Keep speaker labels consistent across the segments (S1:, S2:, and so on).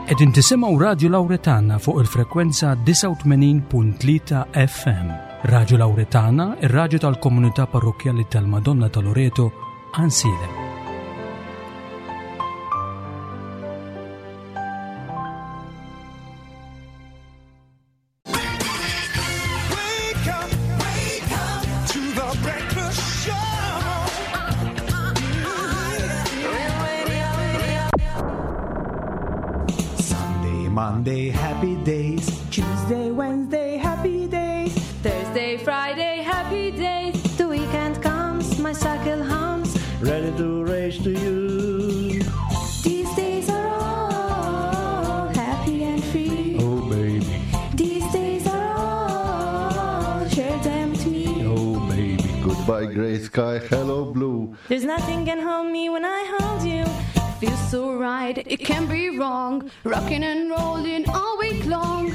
S1: Qegħdin tisimgħu Radju Lawretana fuq il-frekwenza 89.3 FM. Radju Lawretana, ir-radju tal-komunità parrokkjali tal-Madonna ta' Loreto, Ansilem.
S2: Sunday, Monday, happy days.
S3: Tuesday, Wednesday, happy days.
S4: Thursday, Friday, happy days.
S5: The weekend comes, my cycle hums.
S2: Ready to race to you.
S5: These days are all happy and free.
S2: Oh, baby.
S5: These days are all, share them with me.
S2: Oh, baby.
S6: Goodbye, gray sky. Hello, blue.
S5: There's nothing can hold me when I hold you.
S4: Feels so right, it can't be wrong. Rocking and rolling all week long.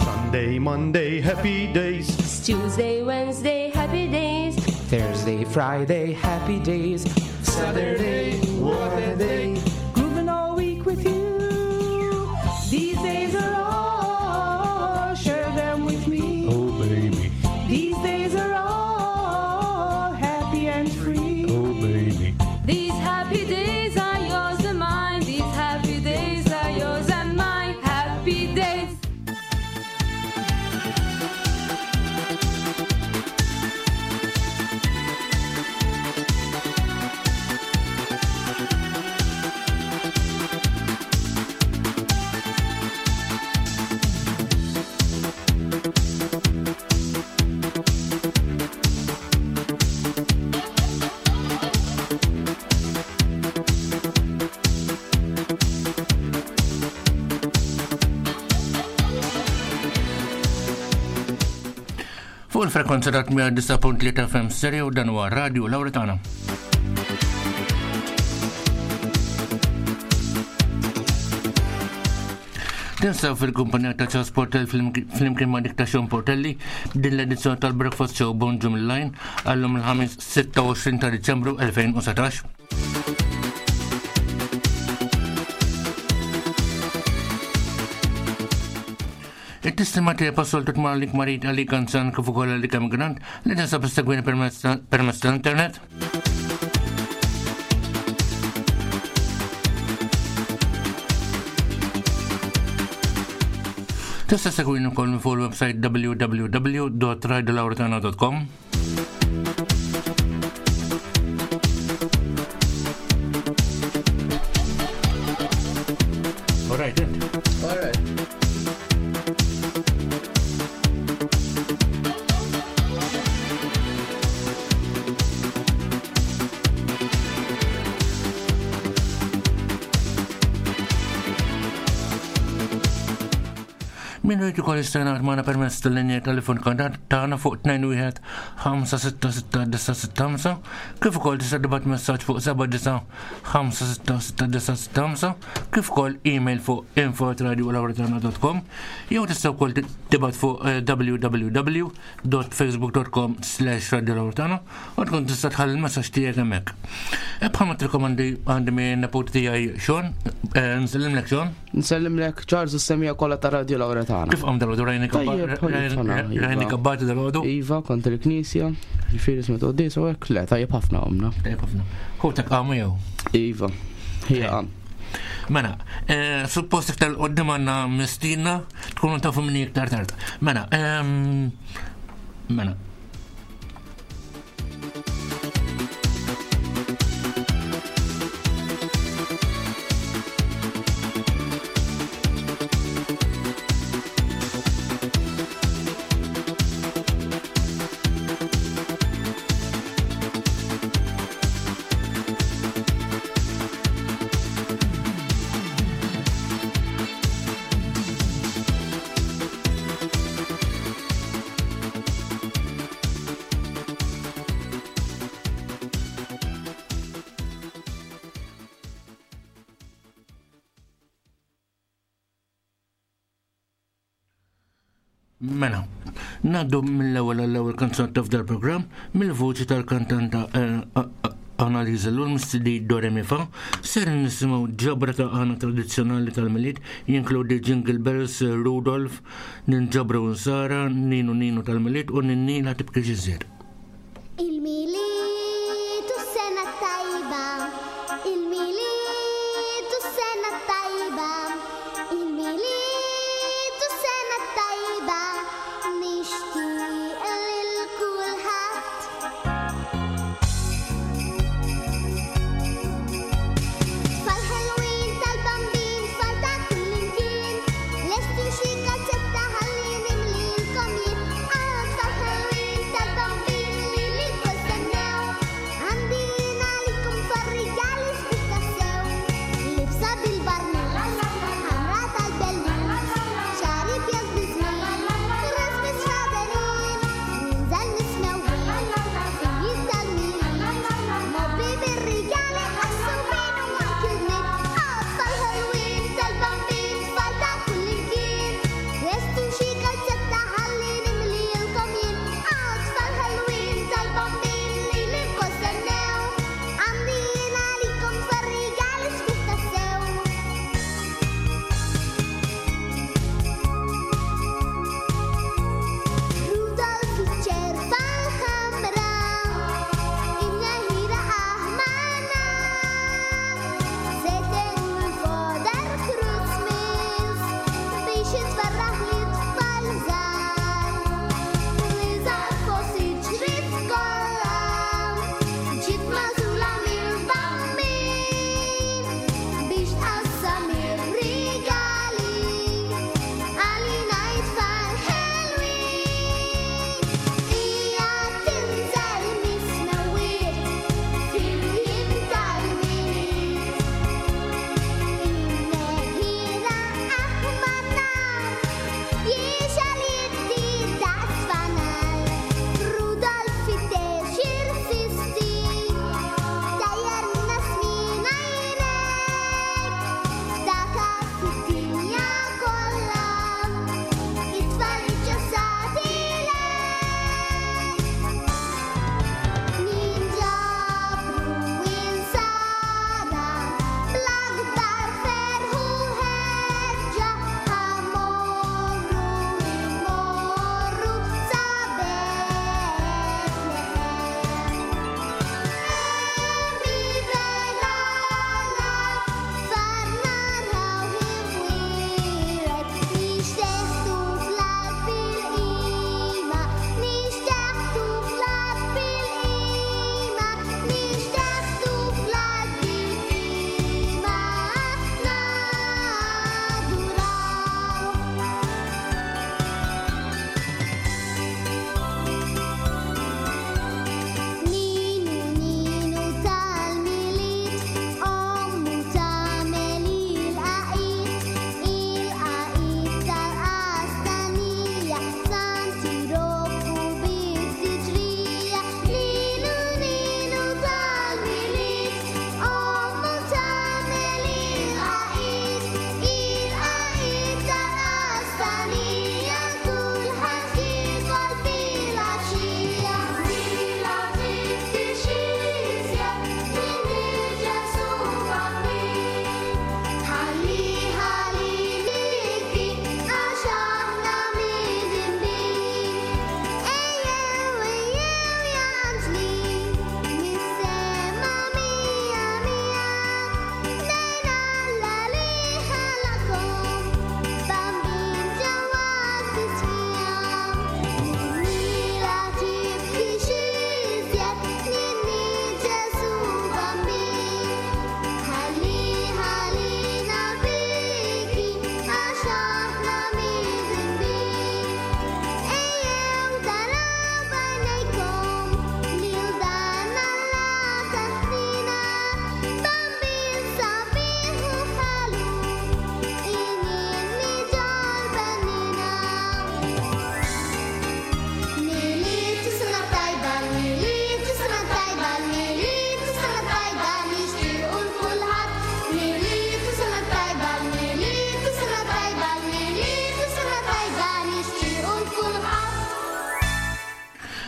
S2: Sunday, Monday, happy days.
S5: Tuesday, Wednesday, happy days.
S7: Thursday, Friday, happy days.
S2: Saturday, what a day.
S3: Grooving all week with you. These days are all, share them with me.
S2: Oh, baby.
S3: These days are all happy and free.
S2: Oh, baby.
S4: These happy days are yours and mine. These happy days are yours and mine. Happy days.
S8: Fuq il-frekwenza ta' 109.3 FM stereo dan huwa Radio Lauretana. Tinsaw fil-kumpanija ta' Charles Portel fl-imkien ma' dik ta' Sean Portelli din l-edizzjoni tal-Breakfast Show Bonġu mill-Line għallum il-ħamis 26 ta' Diċembru 2017. It-tislima tiegħi passoltu tmur għalik marid għalik anzjan kif ukoll għalik emigrant li tinsab issegwini permezz tal-internet. Tista' segwini wkoll minn fuq il-website www.radiolauretana.com. All right, then.
S7: All right.
S8: Min rrid ukoll jista' jingħaqad magħna permezz tal-linja telefonika tagħna fuq 21 566 kif ukoll tista' tibgħat messaġġ fuq 79 566 kif ukoll email fuq info@radiolawretana.com jew tista' wkoll tibgħat fuq eh, www.facebook.com slash radiolawretana u tkun tista' tħalli l-messaġġ tiegħek hemmhekk. E bħalma tirkomandi għandi minn nepoti tiegħi Sean, eh, nsellimlek Sean.
S7: Nsellimlek Charles u s-semija kollha ta' Radio Lauretana.
S8: Kif qam dal-għodu rajni
S7: Tajjeb,
S8: kabbati dal-għodu?
S7: Iva, kont il-knisja, ġifieri smet quddies u hekk, le, tajjeb ħafna qomna.
S8: Tajjeb ħafna. Ħutek qamu jew?
S7: Iva, hija qam.
S8: Mela, eh, suppost iktar qoddim għandna mistina, tkunu tafu minni iktar tard. Mela, ehm, mela, Mela, Ngħaddu mill-ewwel għall-ewwel kanzunetta f'dal programm mill-vuċi tal-kantanta eh, Annalisa Lul mis-CD Do Re Mi Fa, ser nisimgħu ġabra ta' għana tradizzjonali tal-Milied jinkludi Jingle Bells, Rudolf, Ninġabru Nsara, Ninu Ninu tal-Milied u Ninni la tibkix iżjed.
S9: Il-Milied u s-sena t-tajba, il-Milied u s-sena t-tajba, il-Milied u s-sena t-tajba, nixtieq lil kulħadd. Tfal ħelwin tal-bambin, tfal ta' kullimkien, lestu xi kalzetta ħalli nimlilkom jien. Ah, tfal ħelwin tal-bambin.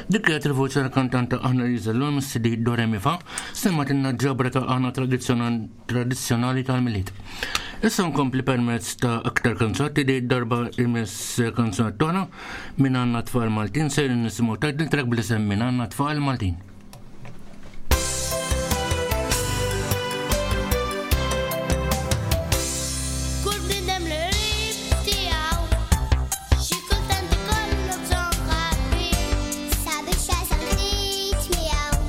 S8: Dik kienet il-voċi tal-kantanta Annalisa Ellul mis-CD Do Re Mi Fa, semmatilna ġabra ta' għana tradizzjonali tal-Milied. Issa nkompli permezz ta' aktar kanzunati li darba imiss kanzunat oħra minn għandna tfal Maltin ser nisimgħu title track bl-isem minn għandna tfal Maltin.
S9: Kull bniedem li qrib tiegħu xi kultant ikollu bżonn ħabib
S10: sabiex jasal ftit miegħu.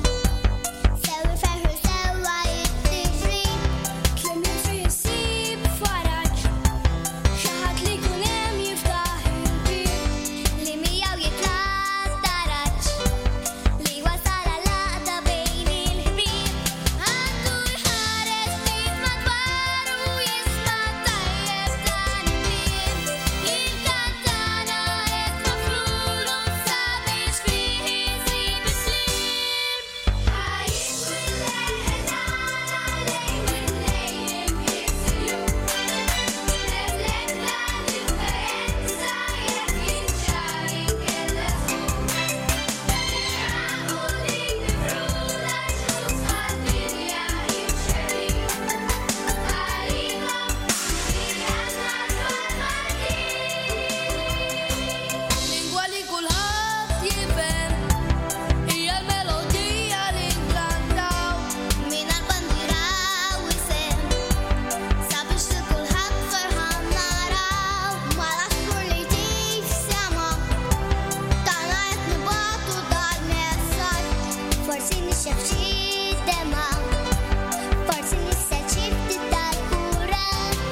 S10: Sew iferħu sewwa jittiġri.
S4: Kliem li fih isib faraġ, xi ħadd li jkun hemm jiftaħ il-bieb.
S10: Li miegħu jitla' taraġ li wasal għal-għaqda bejn il-ħbieb. Għandu jħares ftit madwaru jisma' tajjeb dan il-kliem. Il-kantana qed nofrulu sabiex fih isib is-sliem.
S4: Lingwa li kulħadd jifhem hija l-melodija li nkantaw.
S10: Mingħajr bandiera u isem sabiex lil kulħadd ferħan naraw. Mal-għasfur li jtir fis-sema tagħna qed nibagħtu dal-messaġġ. Forsi nixxef xi demgħa, forsi nissel xi ftit tal-kuraġġ.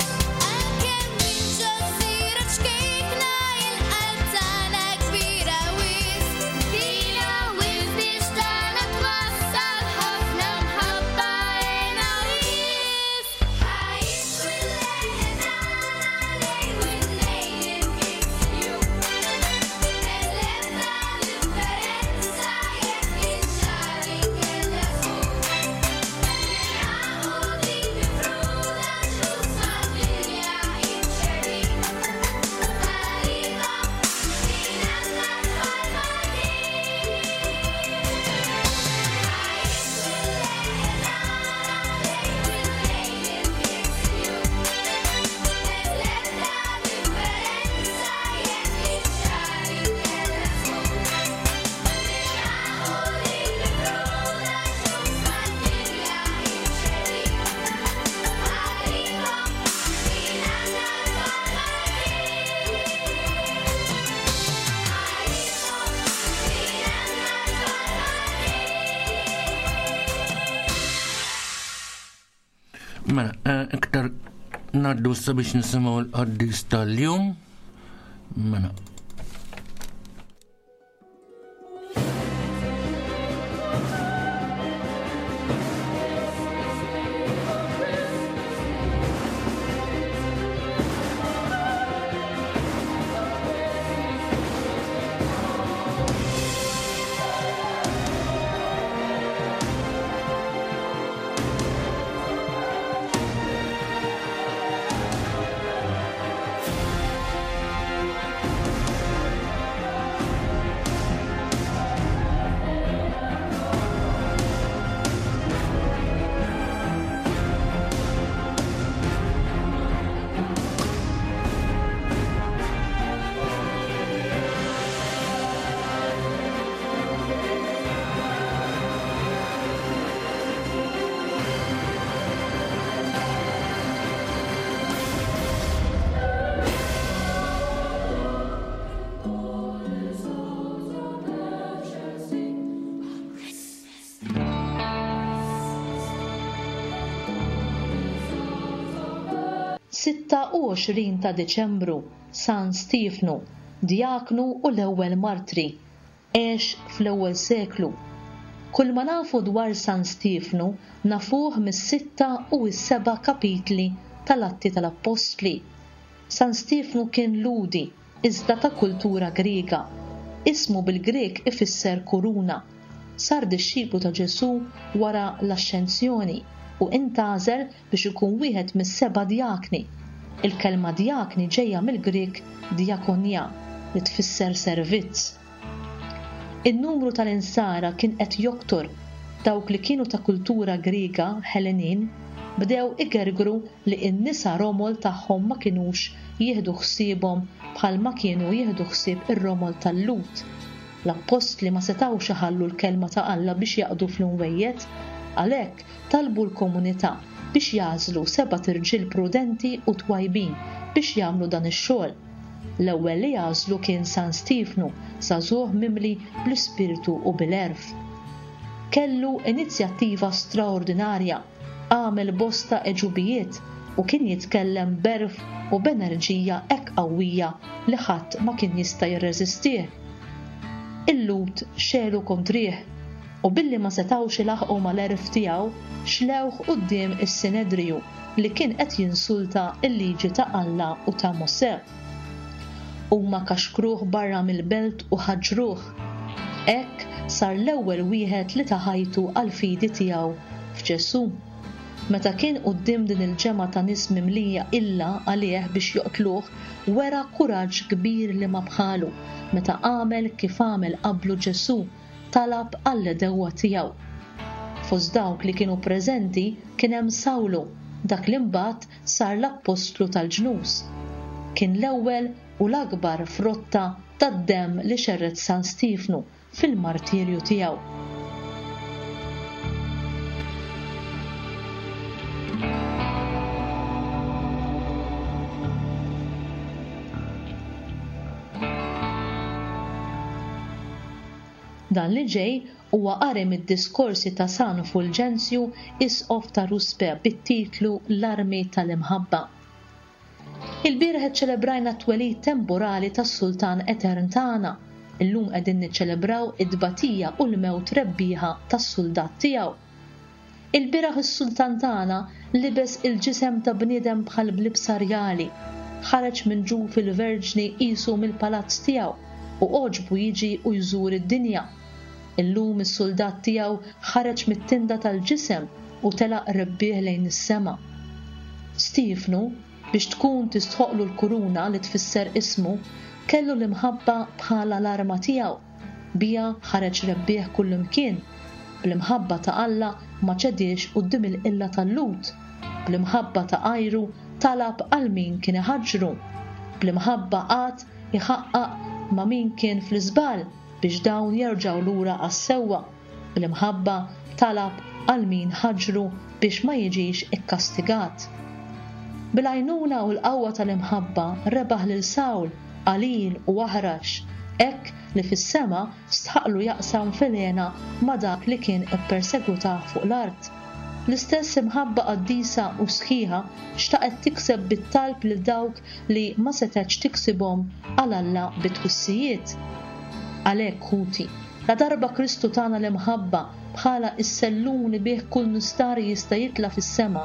S4: Għalkemm minn ġo gżira ċkejkna il-qalb tagħna kbira wisq. Kbira wisq biex tagħna twassal ħafna mħabba hena wisq.
S8: Mela, eh, iktar naddu sabiex nisimgħu l-qaddis tal-jum. Mela.
S11: 26 ta' Diċembru, San Stiefnu, djaknu u l-ewwel martri. Għex fl-ewwel seklu. Kull ma nafu dwar San Stiefnu nafuh mis-sitta u s-seba' kapitli tal-Atti tal-Appostli. San Stiefnu kien Lhudi, iżda ta' kultura Griega. Ismu bil-Grieg ifisser kuruna. Sar dixxiplu ta' Ġesù wara l-Axxenzjoni u intgħażel biex ikun wieħed mis-seba' djakni. Il-kelma djakni ġejja mill-Grieg diakonia li tfisser servizz. In-numru tal-Insara kien qed joktor. Dawk li kienu ta' kultura Griega, Ħelenin, bdew igergru li n-nisa romol tagħhom ma kinux jieħdu ħsiebhom bħalma kienu jieħdu ħsieb ir-romol tal-Lhud. L-appostli ma setgħux iħallu l-kelma ta' Alla biex jaqdu fl-imwejjed, għalhekk talbu l-komunità biex jagħżlu sebat irġiel prudenti u twajbin biex jagħmlu dan ix-xogħol. L-ewwel li għażlu kien San Stiefnu, żagħżugħ mimli bl-Ispirtu u bil-għerf. Kellu inizjattiva straordinarja, għamel bosta għeġubijiet u kien jitkellem b'għerf u b'enerġija hekk qawwija li ħadd ma kien jista' jirreżistih. Il-Lhud xegħlu kontrih, u billi ma setgħux ilaħħqu mal-għerf tiegħu, xlewh quddiem is-Sinedriju li kien qed jinsulta l-liġi ta' Alla u ta' Mosè. Huma kaxkruh barra mill-belt u ħaġġruh. Hekk sar l-ewwel wieħed li ta ħajtu għall-fidi tiegħu f'Ġesù. Meta kien quddiem din il-ġemgħa ta' nies mimlija qilla għalih biex joqtluh, wera kuraġġ kbir li ma bħalu meta għamel kif għamel qablu Ġesù, talab għall-għedewwa tiegħu. Fost dawk li kienu preżenti kien hemm Sawlu, dak li mbagħad sar l-appostlu tal-ġnus. Kien l-ewwel u l-akbar frotta tad-demm li xerred San Stiefnu fil-martirju tiegħu. Dan li ġej huwa qari mid-diskorsi ta' San Fulġenzju, Isqof ta' Ruspe bit-titlu L-Armi tal-Imħabba. Ilbieraħ iċċelebrajna t-twelid temporali tas-Sultan Etern tagħna. Illum qegħdin niċċelebraw it-tbatija u l-mewt rebbieħa tas-suldat tiegħu. Ilbieraħ is-Sultan tagħna libes il-ġisem ta' bniedem bħal b'libsa rjali, ħareġ minn ġuf il-Verġni qisu mill-palazz tiegħu u għoġbu jiġi u jżur id-dinja. Illum is-suldat tiegħu ħareġ mit-tinda tal-ġisem u telaq rebbieħ lejn is-sema. Stiefnu, biex tkun tistħoqqlu l-kuruna li tfisser ismu, kellu l-imħabba bħala l-arma tiegħu. Biha ħareġ rebbieħ kullimkien. Bl-imħabba ta' Alla ma ċediex quddiem il-qilla tal-Lhud. Bl-imħabba ta' għajru talab għal min kien iħaġġru. Bl-imħabba qagħad iħaqqaq ma' min kien fl-iżball biex dawn jerġgħu lura għas-sewwa. Bl-imħabba talab għal min ħaġġru biex ma jiġix ikkastigat. Bil-għajnuna u l-qawwa tal-imħabba rebaħ lil Sawl, qalil u aħrax, hekk li fis-sema stħaqqlu jaqsam fil-hena ma' dak li kien ippersegwitah fuq l-art. L-istess imħabba qaddisa u sħiħa xtaqet tikseb bit-talb lil dawk li ma setgħetx tiksibhom għal Alla bit-twissijiet. Għalhekk, ħuti, ladarba Kristu tana l-imħabba bħala s-sellum li bih kull nistari jista' jitla' fis-sema,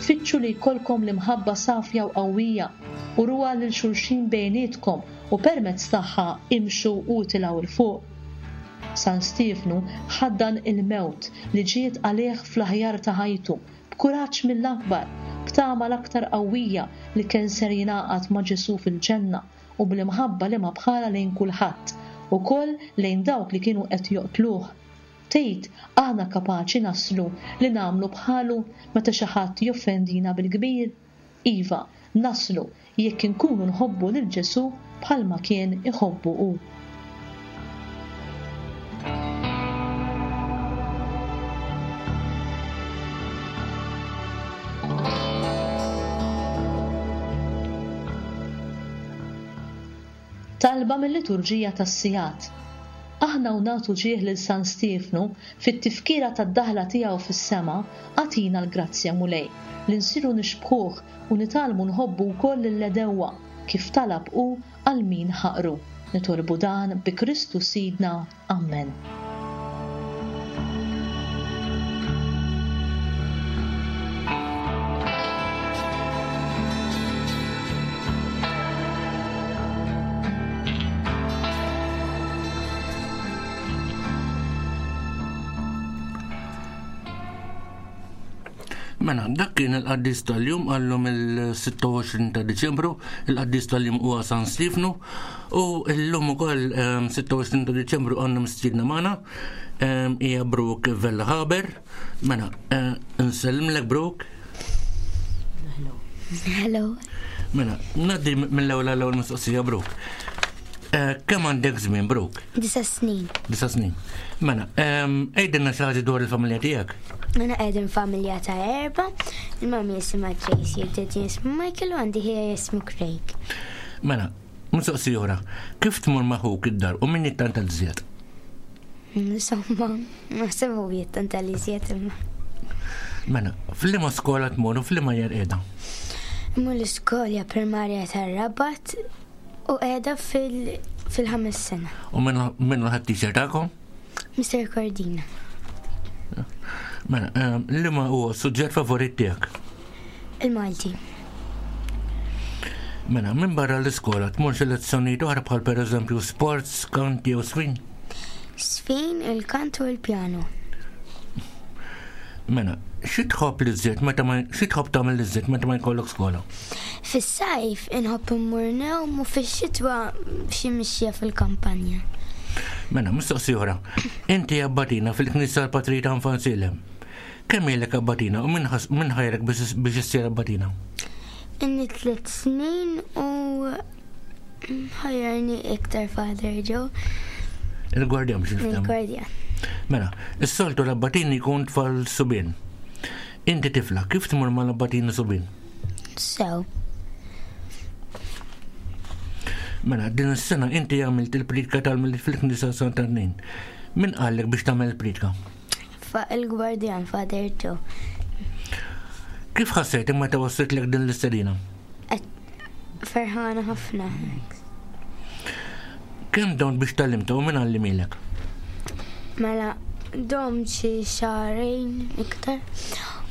S11: fittxu li jkollkom l-imħabba safja u qawwija, uruha lil xulxin bejnietkom u permezz tagħha imxu u itilgħu 'l fuq. San Stiefnu ħaddan il-mewt li ġiet għalih fl-aħjar ta' ħajtu, b'kuraġġ mill-akbar, b'tama l-aktar qawwija li kien ser jingħaqad ma' Ġesù fil-ġenna u bl-imħabba li ma bħalha lejn kulħadd, ukoll lejn dawk li kienu qed joqtluh. Tgħid aħna kapaċi naslu li nagħmlu bħalu meta xi ħadd joffendina bil-kbir? Iva, naslu jekk inkunu nħobbu lil Ġesù bħalma kien iħobbu hu. Talba mil-Liturġija tas-Sigħat. Aħna u nagħtu ġieħ lil San Stiefnu fit-tifkira tad-daħla tiegħu fis-sema, agħtina l-grazzja, Mulej, li nsiru nixbħuh u nitgħallmu nħobbu wkoll lill-għedewwa, kif talab hu għal min ħaqru. Nitolbu dan bi Kristu Sidna. Ammen.
S8: Mela, dak kien il-qaddis tal-jum għallum il-26 ta' Diċembru, il-qaddis tal-jum huwa San Stefnu u llum ukoll 26 ehm, ta' Diċembru għandna mistiedna magħna ehm, hija Brooke Vella Haber. Mela, eh, nsellimlek Brooke.
S12: Hello. Hello.
S8: Mela, naddi mill-ewwel għall-ewwel mistoqsija Brooke. Eh, kemm għandek żmien Brooke?
S12: Disa snin.
S8: Disa snin. Mela, ehm, għidilna xi ħaġa dwar il-familja tiegħek.
S12: Mela qegħdin familja ta' erba, il-mami jisimha Tracy, il-daddy jismu Michael u għandi ħija jismu Craig.
S8: Mela, mistoqsija oħra, kif tmur ma' ħuk id-dar u min jittanta l-żjed?
S12: Insomma, naħseb hu jittanta l-iżjed imma.
S8: Mela, f'liema skola tmur u f'liema jer qiegħda?
S12: Imur l-iskola primarja tar-Rabat u qiegħda fil-ħames sena.
S8: U min hu teacher tagħkom?
S12: Mr. Cordina.
S8: Mela, ehm, liema huwa s-suġġett favorit tiegħek?
S12: Il-Malti.
S8: Mela, minn barra l-iskola tmur xi lezzjonijiet oħra bħal pereżempju sports, kant jew sfin?
S12: Sfin, il-kant u l-pjano.
S8: Mela, xi tħobb li żżid meta ma xi tħobb tagħmel li żżid meta ma jkollok skola?
S12: Fis-sajf inħobb immur newm u fix-xitwa xi mixja fil-kampanja.
S8: Mela, mistoqsija oħra. Inti abbatina fil-Knisja tal-Patrita Infanzilem. Kemm ilek abbatina u min ħajrek biex issir abbatina?
S12: Inni tliet snin u ħajjarni iktar Father Joe.
S8: Il-gwardjan biex nifhem.
S12: Il-gwardjan.
S8: Mela, is-soltu l-abbatini jkun tfal subien. Inti tifla, kif tmur mal-abbatini subien?
S12: Sew.
S8: Mela, din is-sena inti għamilt il-pritka tal-Milied fil-Knisja Sant'Annin. Min qallek biex tagħmel il-pritka?
S12: Il-gwardjan Father Joe.
S8: Kif ħassejtek meta wasslitlek din l-istedina?
S12: Ferħana ħafna.
S8: Kemm domt biex tgħallimtha u min għallimilek?
S12: Mela, domt xi xahrejn iktar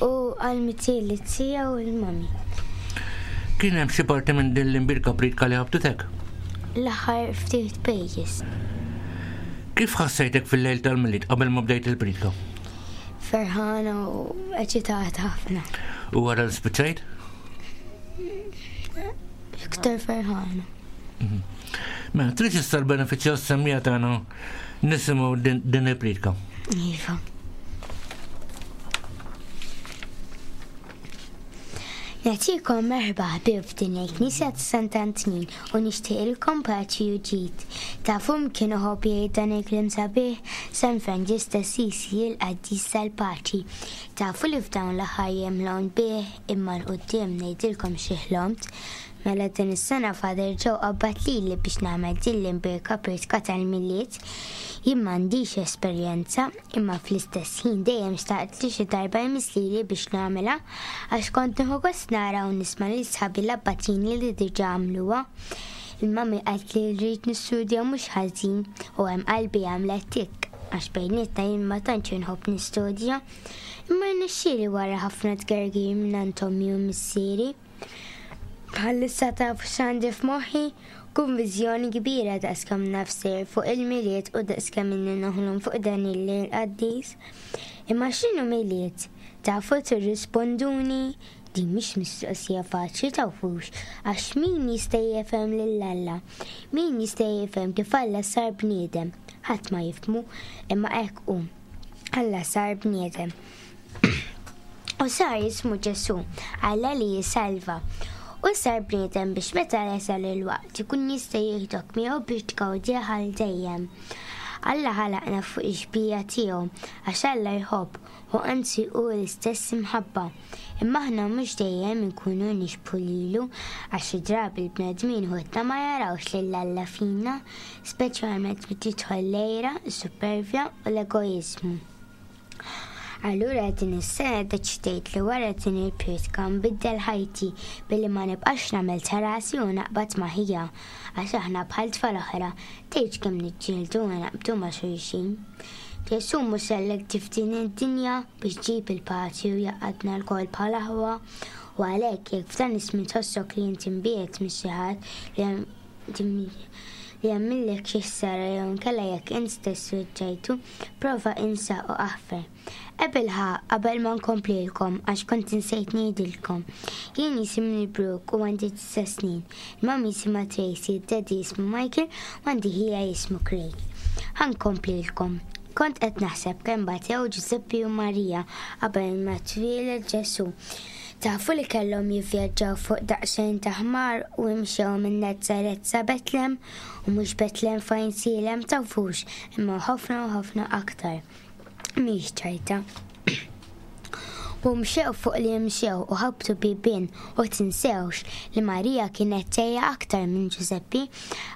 S12: u għallmitili t-tija u l-mami.
S8: Kien hemm xi parti minn din l-imbirka pritka li ħabtitek?
S12: L-aħħar ftit pages.
S8: Kif ħassejtek fil-lejl tal-Milied qabel ma bdejt il-priedka?
S12: Ferħana u eċitata ħafna.
S8: U wara li spiċċajt?
S12: Iktar ferħana.
S8: Mhm. Mela, trid issa l-benefiċċju għas-semmija tagħna nisimgħu din il-priedka.
S12: Iva. Nagħtikom merħba ħbieb f'din il-Knisja ta' Sant'Antnin u nixtieqilkom paċi u ġid. Tafu min kien iħobb jgħid dan il-kliem sabiħ? San Franġisk t'Assisi, il-qaddis tal-paċi. Tafu li f'dawn l-aħħar jiem ħlomt bih, imma 'l quddiem ngħidilkom xi ħlomt. Mela din is-sena Father Joe qabbad lili biex nagħmel din l-imbierka priedka tal-Milied. Jien m'għandix esperjenza, Imma fl-istess ħin dejjem xtaqt li xi darba jmiss lili biex nagħmilha għax kont nieħu gost nara u nisma' lil sħabi l-abbatini li diġà għamluha. Il-mummy qaltli li rrid nistudja mhux ħażin u hemm qalbi għamlet tikk għax bejnietna jien ma tantx inħobb nistudja. Imma rnexxieli wara ħafna tgergir mingħand ommi u missieri. Bħalissa tafu x'għandi f'moħħi? Konviżjoni kbira daqskemm naf sejjer fuq il-Milied u daqskemm inni noħlom fuq dan il-lejl qaddis. Imma x'inhu Milied? Tafu tirrisponduni? Din mhix mistoqsija faċli tafux, għax min jista' jifhem lil Alla? Min jista' jifhem kif Alla sar bniedem? Ħadd ma jifhmu, imma hekk hu. Alla sar bniedem. U sar jismu Ġesù, Alla li jissalva. U sar bniedem biex meta jasal il-waqt ikun jista' jieħdok miegħu biex tgawdih għal dejjem. Alla ħalaqna fuq ix-xbieha tiegħu, għax Alla jħobb, u anzi hu l-istess imħabba. Imma aħna mhux dejjem inkunu nixbħu lilu, għax xi drabi l-bnedmin ħutna ma jarawx lil Alla fina, speċjalment meta tidħol l-għira, is-suppervja u l-egoiżmu. Allura din is-sena ddeċidejt li wara din il-prietka nbiddel ħajti billi ma nibqax nagħmel ta' rasi u naqbad ma' ħija għax aħna bħal tfal oħra tgħidx kemm niġġieldu u naqbdu ma' xulxin. Ġesù mhux għalhekk ġie f'din id-dinja biex ġib il-paċi u jgħaqqadna lkoll bħal aħwa u għalhekk jekk f'dan iż-żmien tħossok li int imbiegħed minn xi ħadd li li għamillek xi ħsara jew inkella jekk int stess weġġajtu, prova insa u aħfer. Ebilħaqq, qabel ma nkomplilkom, għax kont insejt ngħidilkom, jien jisimni Brooke u għandi disa' snin. Il-mummy jisimha Tracy, id-daddy jismu Michael u għandi ħija jismu Craig. Ħa nkomplilkom. Kont qed naħseb kemm batew Ġużeppi u Marija qabel ma twieled Ġesù. Tafu li kellhom jivvjaġġaw fuq daqsxejn ta' ħmar u imxew minn Nazaret sa Betlem u mhux Betlem fejn sielem tafux imma ħafna u ħafna aktar. Mhix ċajta. U mxew fuq li mxew u ħabtu bibien u tinsewx li Marija kienet tgħejja aktar minn Ġużeppi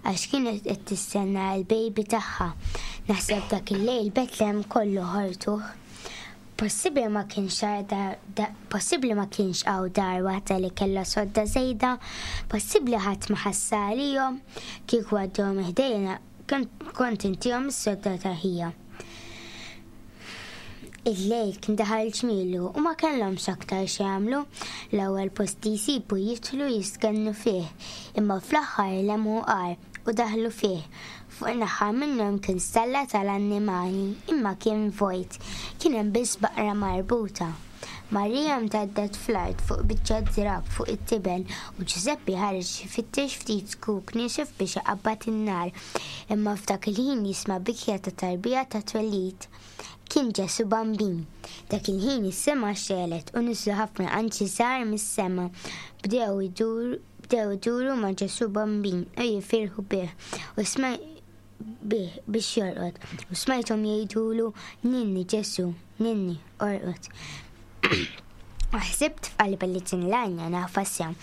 S12: għax kienet qed tistenna l-baby tagħha. Naħseb dak il-lejl Betlem kollu ħortuh. Possibbli ma kienx possibbli ma kienx hawn dar waħda li kellha sodda żejda, possibbli ħadd ma ħassha għalihom, kieku għaddew minn ħdejna kont intihom is-sodda ta' ħija. Il-lejl kien daħal ġmielu u ma kellhomx aktar x'jagħmlu. L-ewwel post li jsibu jidħlu jistkennu fih, imma fl-aħħar lemħu għar u daħlu fih. Fuq naħa minnhom kien stalla tal-annimali, imma kien vojt. Kien hemm biss baqra marbuta. Marija mtaddet fl-art fuq biċċa drapp fuq it-tiben u Ġużeppi ħareġ ifittex ftit zkuk niexef biex iqabbad in-nar. Imma f'dak il-ħin jisma' bikja ta' tarbija ta' twelid. Kien Ġesù Bambin. Dak il-ħin is-sema xegħlet u niżlu ħafna anġli żgħar mis-sema. Bdew idur bdew iduru ma' Ġesù Bambin u jifirħu bih u bih biex jorqod u smajthom jgħidulu Ninni Ġesù, ninni, orqod. U ħsibt f'qalbi li din l-għanja nafha sew,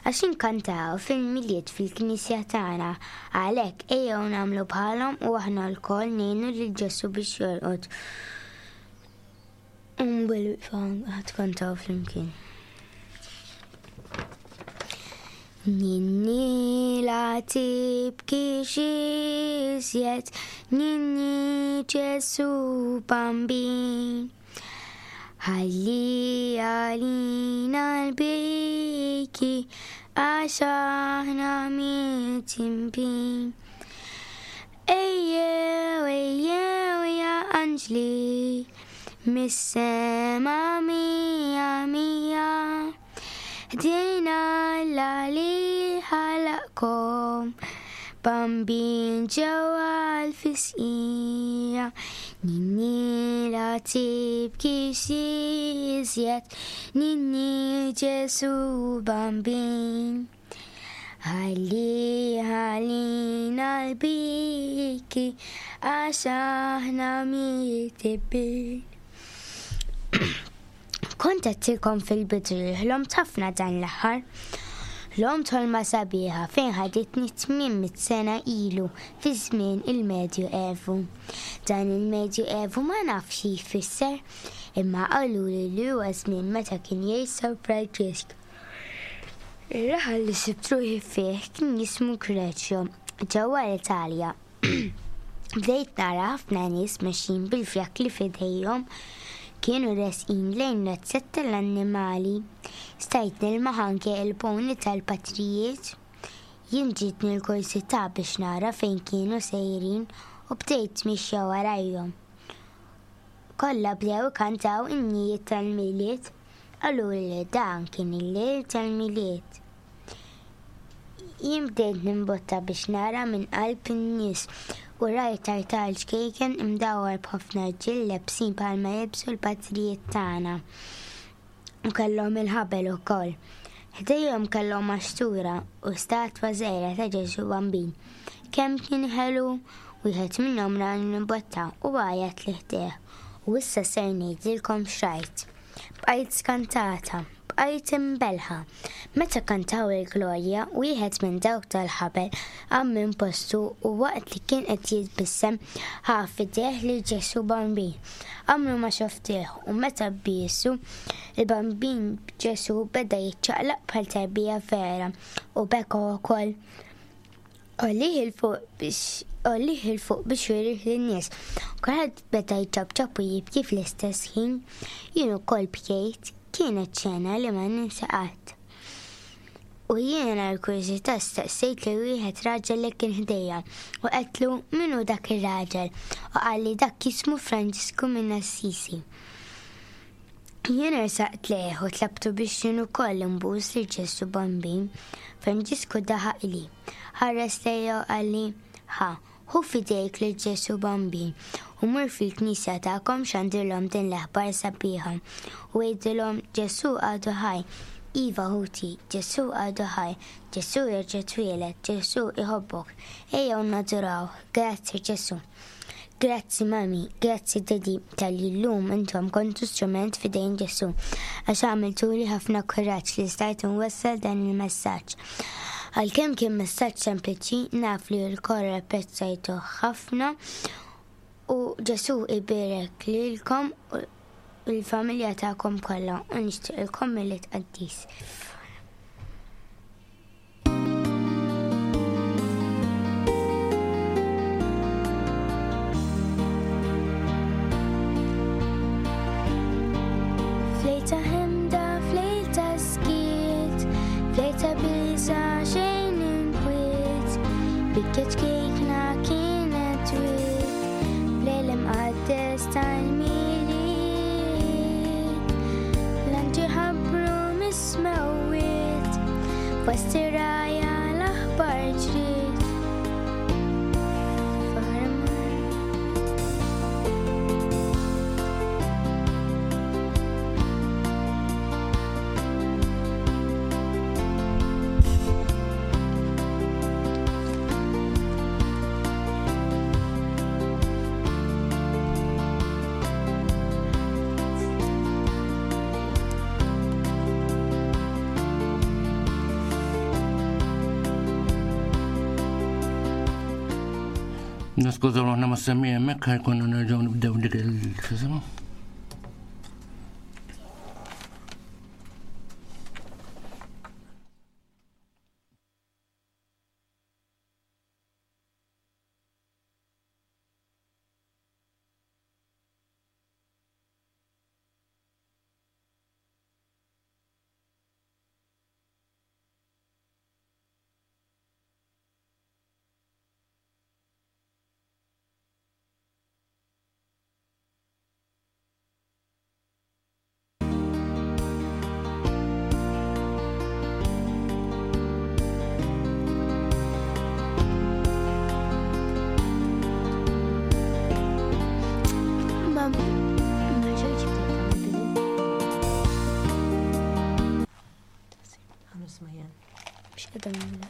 S12: għax inkantaw fil-Milied fil-knisja tagħna, għalhekk ejjew nagħmlu bħalhom u aħna lkoll ngħinu lil Ġesù biex jorqod. U bil-wieqfa ħa tkantaw flimkien. Ninni la tibkix iżjed, ninni Ġesù Bambin. Ħalli għalina l-biki għax aħna mittimpin. Ejjew, ejjew ja anġli, mis-sema mija mija. Ħdejna Alla li ħalaqkom, bambin ġewwa l-fisqija. Ninni la tibkix iżjed, ninni Ġesu bambin. Ħalli ħalina l-biki għax aħna mitibin. Kont għedtilkom fil-bidu li ħlomt ħafna dan l-aħħar. Ħlomt ħolma sabiħa fejn ħaditni 800 sena ilu fi żmien il-Medju Evu. Dan il-Medju Evu ma nafx xi jfisser, imma qaluli li huwa żmien meta kien jgħix San Franġisk. Ir-raħal li sibt ruħi fih kien jismu Greċjo, ġewwa l-Italja. Bdejt nara ħafna nies mexjin bil-fjakli f'idejhom. Kienu resqin lejn razzett tal-annimali. Stajt nilmaħ anke il-pony tal-patrijiet. Jien ġietni l-kurżità biex nara fejn kienu sejrin u bdejt mixja warajhom. Kollha bdew ikantaw innijiet tal-Milied. Qaluli li dan kien il-lejl tal-Milied. Jien bdejt nimbotta biex nara minn qalb in-nies u rajt artal ċkejken imdawwar b'ħafna rġiel lebsin bħalma jilbsu l-patrijiet tagħna. U kellhom il-ħabel ukoll. Ħdejhom kellhom maxtura u statwa żgħira ta' Ġesù Bambin. Kemm kien ħelu! Wieħed minnhom rani nimbotta u għajjatli ħdejh. U issa ser ngħidilkom x'rajt. Bqajt skantata, bqajt imbellħa. Meta kantaw il-Glorja, wieħed minn dawk tal-ħabel qam minn postu u waqt li kien qed jitbissem ħa f'idejh lil Ġesù Bambin. Għamru ma xoftih u meta biesu, il-Bambin Ġesù beda jiċċaqlaq bħal tarbija vera u beka wkoll. Għollih 'il fuq biex għollih 'il fuq biex jurih lin-nies. Kulħadd beda jċapċap u jibki fl-istess ħin. Jien ukoll bkejt. Kienet xena li ma ninsa qatt. U jiena l-kurżità staqsejt lil wieħed raġel li kien ħdejja u għedtlu min hu dak ir-raġel u qalli dak jismu Franġisku minn Assisi. Jien ersaqt lejh u tlabtu biex jien ukoll inbus lil Ġesù Bambin. Franġisku daħaqli, ħares lejja u qalli, Ħa, Ħu f'idejk lil Ġesù Bambin u mur fil-knisja tagħkom xandrilhom din l-aħbar sabiħa u għidilhom Ġesù għadu ħaj. Iva ħuti, Ġesù għadu ħaj, Ġesù jerġa' twieled, Ġesù iħobbok. Ejjew nadurawh. Grazzi Ġesù. Grazzi mummy, grazzi daddy talli llum intom kontu strument f'idejn Ġesù għax għamiltuli ħafna kuraġġ li stajt inwassal dan il-messaġġ. Għalkemm kien messaġġ sempliċi, naf li lkoll apprezzajtuh ħafna u Ġesù jbierek lilkom u l-familja tagħkom kollha u nixtieqilkom Milied Qaddis. Flejta ħemda, flejta skiet, flejta biża xejn inkwiet, bikket kejkna kienet twiet, flejl imqaddes tal-milied. L-anġi ħabbru mis-smewwiet, fost ir-rgħajja l-aħbar ġriet.
S8: Niskużaw ruħna ma' semmi hemmhekk ħajkonna nerġgħu nibdew dik il-xisima.
S12: Ma ma ġejtx bdejta mill-bidu. Mhux qiegħda nagħmilha.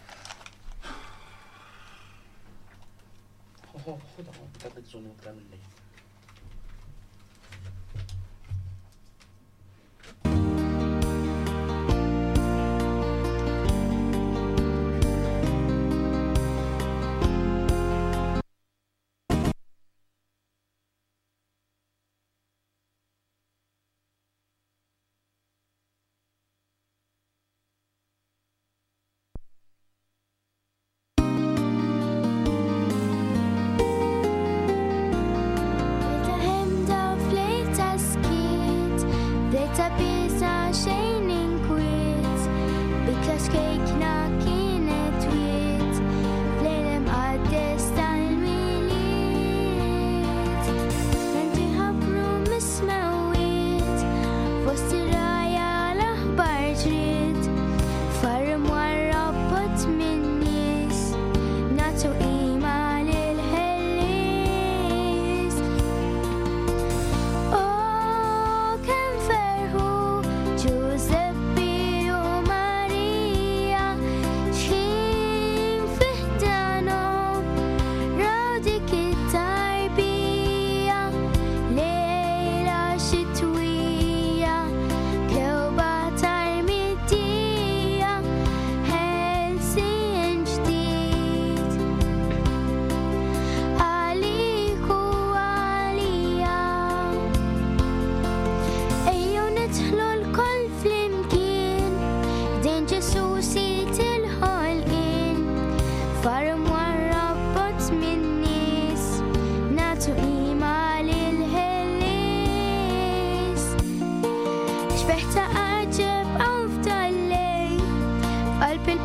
S12: Flejta ħemda, flejta skiet, flejta biża' xejn inkwiet, bikla xkejkna kienet wiet, flejl imqaddes tal-Milied. L-anġli ħabbru mis-smewwiet, fost ir-rgħajja l-aħbar ġriet, far imwarrab bogħod min-nies, nagħtu qima lill-Ħellies. O kemm ferħu Ġużeppi u Marija, x'ħin fi ħdanhom raw dik it-tarbija, lejla xitwija, kewba tarmidija, ħelsien ġdid. Għalik u għalija. Ejjew nidħlu lkoll flimkien, ħdejn Ġesù Sid il-ħolqien, far imwarrab bogħod min-nies, nagħtu qima lill-Ħellies. Xbieħ ta' għaġeb hawn f'dal-lejl, f'qalb il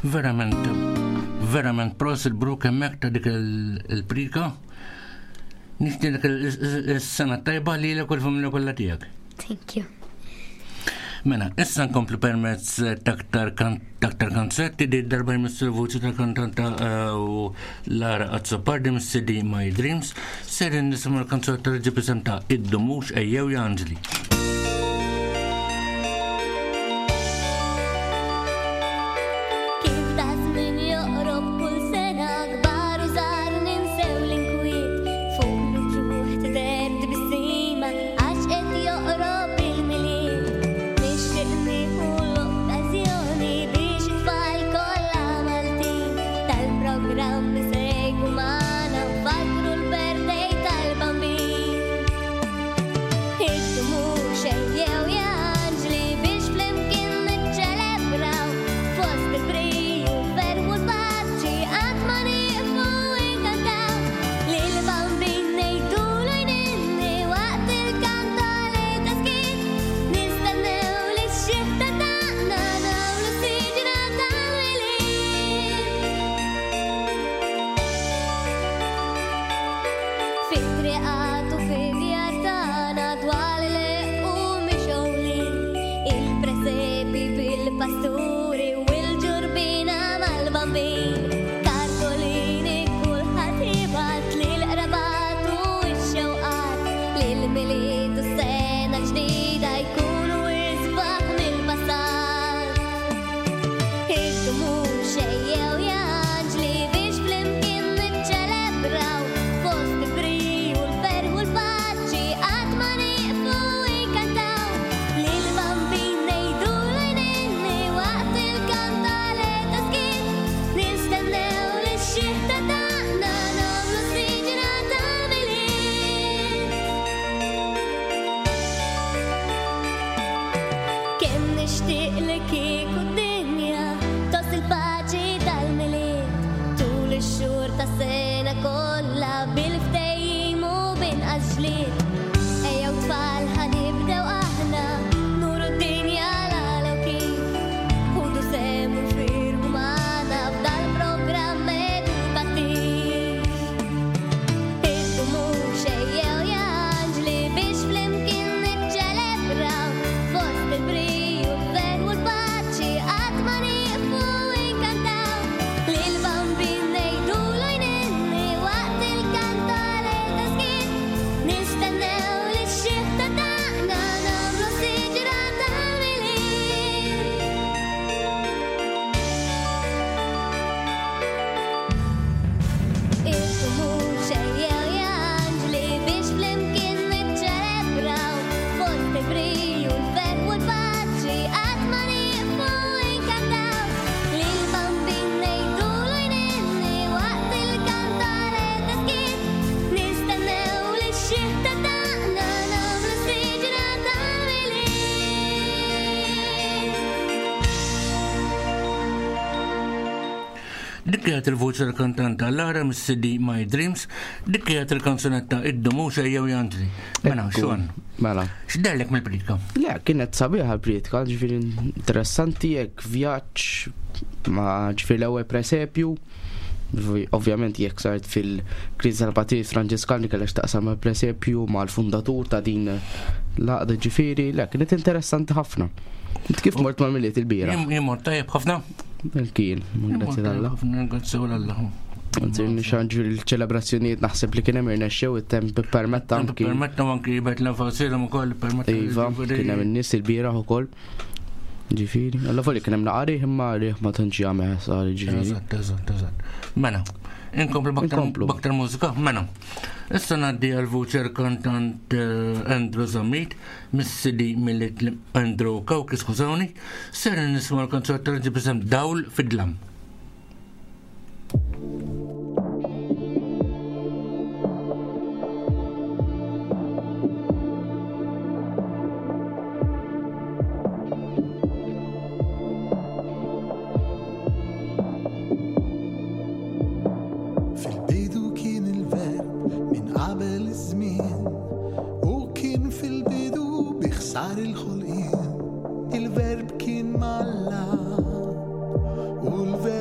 S8: Verament, verament prosit Brooke hemmhekk ta' dik il-prika. Nixtieqlek is-sena tajba lilek u l-familja kollha tiegħek.
S12: Thank you.
S8: Mela, issa nkomplu permezz taktar taktar kanzunetti di darba jmissu l-vuċi tal-kantanta eh, u Lara Azzopardi mis-CD My Dreams, ser nisimgħu l-kanzunetta li ġib isem ta' Id-Dumux Ejjew ja Anġli.
S10: Kif ta' żmien joqrob kull sena kbar u żgħar ninsew l-inkwiet fuq l-uċuħ tidher tbissima għax qed joqrob il-Milied. Nixtieq nieħu l-okkażjoni biex it-tfal kollha Maltin tal-programm isegwu magħna u nfakkru l-birthday tal-Bambin. Id-dumux ejjew ja anġli biex flimkien niċċelebraw fost il-briju, l-ferħ u l-paċi qatt ma nieqfu nkantaw. Lil Bambin ngħidulu jninni waqt il-kantali ta' skiet. Nistennew li x-xita tagħna nagħmlu siġra tal-Milied. Fit-triqat u fid-djar tagħna dwal ileqqu mixgħulin, il-presepi bil-pasturi u l-ġurbina mal-bambin. Kartolini kulħadd jibgħat lill-qrabat u x-xewqat li l-Milied u s-sena l-ġdida jkunu isbaħ mill-passat. Id-dumux ejjew ja anġli biex flimkien niċċelebraw fost il-briju, l-ferħ u l-paċi qatt ma nieqfu nkantaw. Lil Bambin ngħidulu jninni waqt il-kantale ta' skiet. Nistennew li x-xita tagħna nagħmlu siġra tal-Milied. Kemm nixtieq li kieku d-dinja toss il-paċi tal-Milied tul ix-xhur tas-sena kollha bil-ftehim u b'inqas ġlied. Ejjew tfal ħa nibdew aħna nuru d-dinja l-għala u kif ħudu sehem u nfirħu magħna f'dal-programm edukattiv. Id-dumux ejjew ja anġli biex flimkien niċċelebraw fost il-briju, l-ferħ u l-paċi qatt ma nieqfu nkantaw. Lil Bambin ngħidulu jninni waqt il-kantale ta' skiet. Nistennew li x-xita tagħna nagħmlu siġra tal-Milied. Id-dumux ejjew ja anġli biex flimkien niċċelebraw fost il-briju, l-ferħ u l-paċi qatt ma nieqfu nkantaw. Lil Bambin ngħidulu jninni waqt il-kantare ta' skiet. Nistennew li x-xita tagħna nagħmlu siġra tal-Milied.
S8: Dik kienet il-vuċi tal-kantanta Lara mis-CD My Dreams, dik kienet il-kanzunetta Id-Dumux Ejjew ja Anġli. Mela, Sean.
S7: Mela.
S8: X'derlek mill-pritka?
S7: Le, kienet sabiħa l-pritka, ġifieri interessanti jekk vjaġġ ma ġifieri l-ewwel presepju, ovvjament jekk saret fil-kriżi tal-Patrijiet Franġiskani kellha x'taqsam mal-presepju mal-fundatur ta' din l-għaqda ġifieri, le, kienet interessanti ħafna. Int kif mort mal-Milied il-bieraħ?
S8: Jien mort tajjeb ħafna.
S7: Kien, grazzi l-Alla.
S8: Grazzi l-Alla.
S7: Anzi, nixanġu l-ċelebrazzjonijiet naħseb li kien hemm irnexxew it-temp permetta anki.
S8: Permetta anki jibet l-enfasirhom ukoll permetta.
S7: Iva, kien hemm in-nies il-bieraħ ukoll. Ġifieri, alla folli kien hemm naqari imma riħ ma tantx jagħmel ħsar ġifieri.
S8: Eżatt, eżatt, eżatt. Mela, inkomplu baktar mużika, mela. Issa ngħaddi għal vuċer kantant eh, Andrew Zammit, mis-CD Milied Andrew Kawki, skużawni, ser nisma' l-kanzunetta li ġib isem Dawl fid-dlam.
S13: Fil-bidu kien il-verb minn qabel iż-żmien u kien fil-bidu bi ħsar il-ħolqien. Il-verb kien malla u l-verb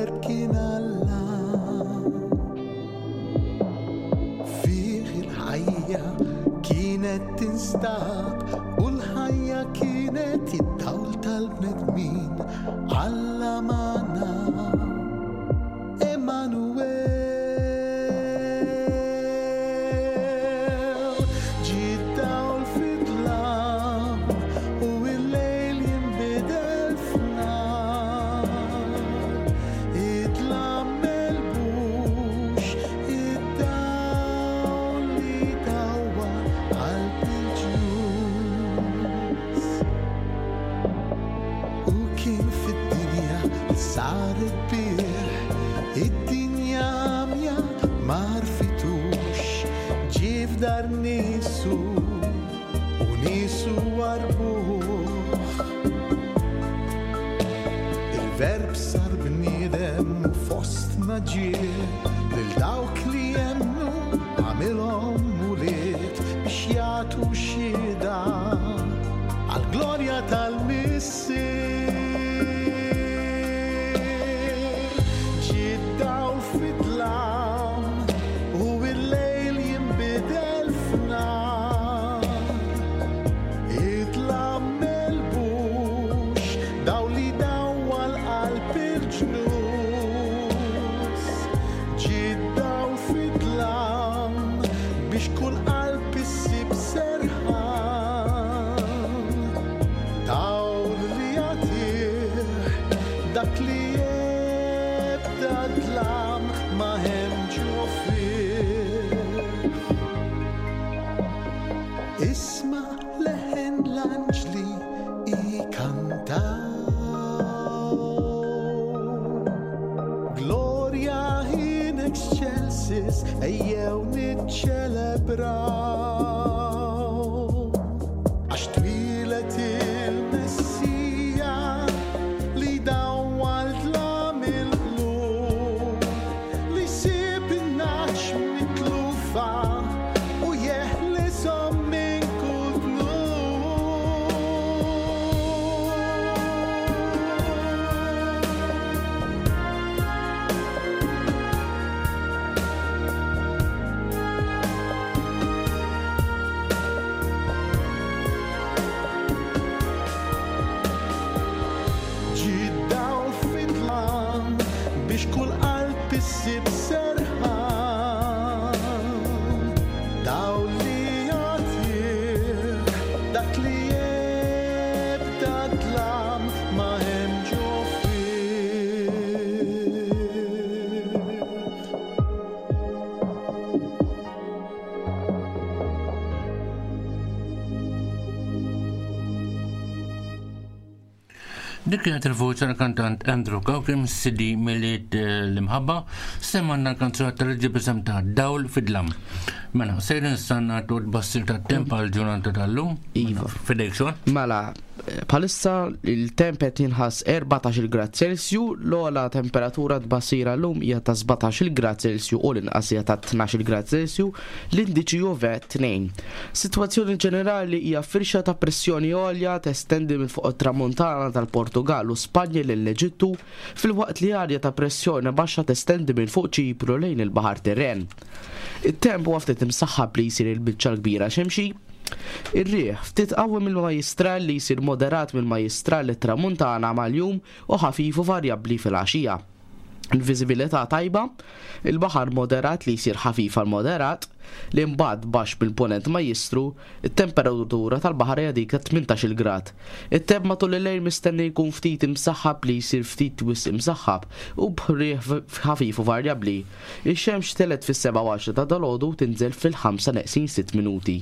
S13: tinstab u l-ħajja kienet id-dawl tal-bnedmin Alla magħna Emmanuel Ġie d-dawl fid-dlam u l-lejl jinbidel f'nar Id-dlam m'għelbux id-dawl li dawwar qalb il-ġnus. U kien fid-dinja li saret bih, id-dinja għamja ma għarfitux, ġie f'dar niesu u niesu warbuh. Il-Verb sar bniedem u fostna ġie, lil dawk li jemmnu għamilhom ulied biex jagħtu xhieda għall-glorja tal-Missier. Ġie d-dawl fid-dlam u l-lejl jinbidel f'nar. Id-dlam m'għelbux dawl li dawwal qalb il-ġnus. Ġie d-dawl fid-dlam biex kull qalb issib serħan. Dawl li jagħtih dak li ebda dlam ma hemm ġo fih. Isma' leħen l-anġli ikantaw. Gloria in excelsis, ejjew niċċelebraw. Għax twieled il-Messija li dawwal dlam il-qlub, li jsib in-nagħaġ mitlufa u jeħlishom minn kull dnub. Ġie d-dawl fid-dlam biex kull qalb issib serħan. Dawl li jagħtih dak li ebda dlam ma hemm ġo fih.
S8: Dik kienet il-voċi tal-kantant Andrew Cauchi mis-CD Milied eh, l-Imħabba, semmanna l-kanzunetta li ġib isem ta' Dawl fid-dlam. Mela, sejrin issa nagħtu tbassir tat-temp għal ġurnata tal-lum.
S7: Iva.
S8: Fidejk xogħol.
S7: Mela, bħalissa il-temp qed jinħass 14 grad Celsiju, l-ogħla temperatura tbassira llum hija ta' 17 grad Celsiju u l-inqas hija ta' 12 grad Celsiju, l-indiċi UV 2. Sitwazzjoni ġenerali hija firxa ta' pressjoni għolja testendi minn fuq it-tramuntana tal-Portugal u Spanja lill-Eġittu, filwaqt li arja ta' pressjoni baxxa testendi minn fuq Ċipru lejn il-Baħar Tirren. It-temp huwa ftit imsaħħab li jsir il-biċċa l-kbira xemxi. Ir-riħ ftit qawwi mill-Majjistral li jsir moderat mill-Majjistral lit-Tramuntana mal-jum u ħafif u varjabbli filgħaxija. Il-viżibilità tajba, il-baħar moderat li jsir ħafif għal moderat, li mbagħad baxx mill-Punent Majjistru, it-temperatura tal-baħar hija dik ta' 18-il grad. It-temp matul il-lejl mistenni jkun ftit imsaħħab li jsir ftit wisq imsaħħab u b'riħ ħafif u varjabbli. Ix-xemx telgħet fis-sebgħa u għaxra ta' dalgħodu u tinżel fil-ħamsa neqsin sitt minuti.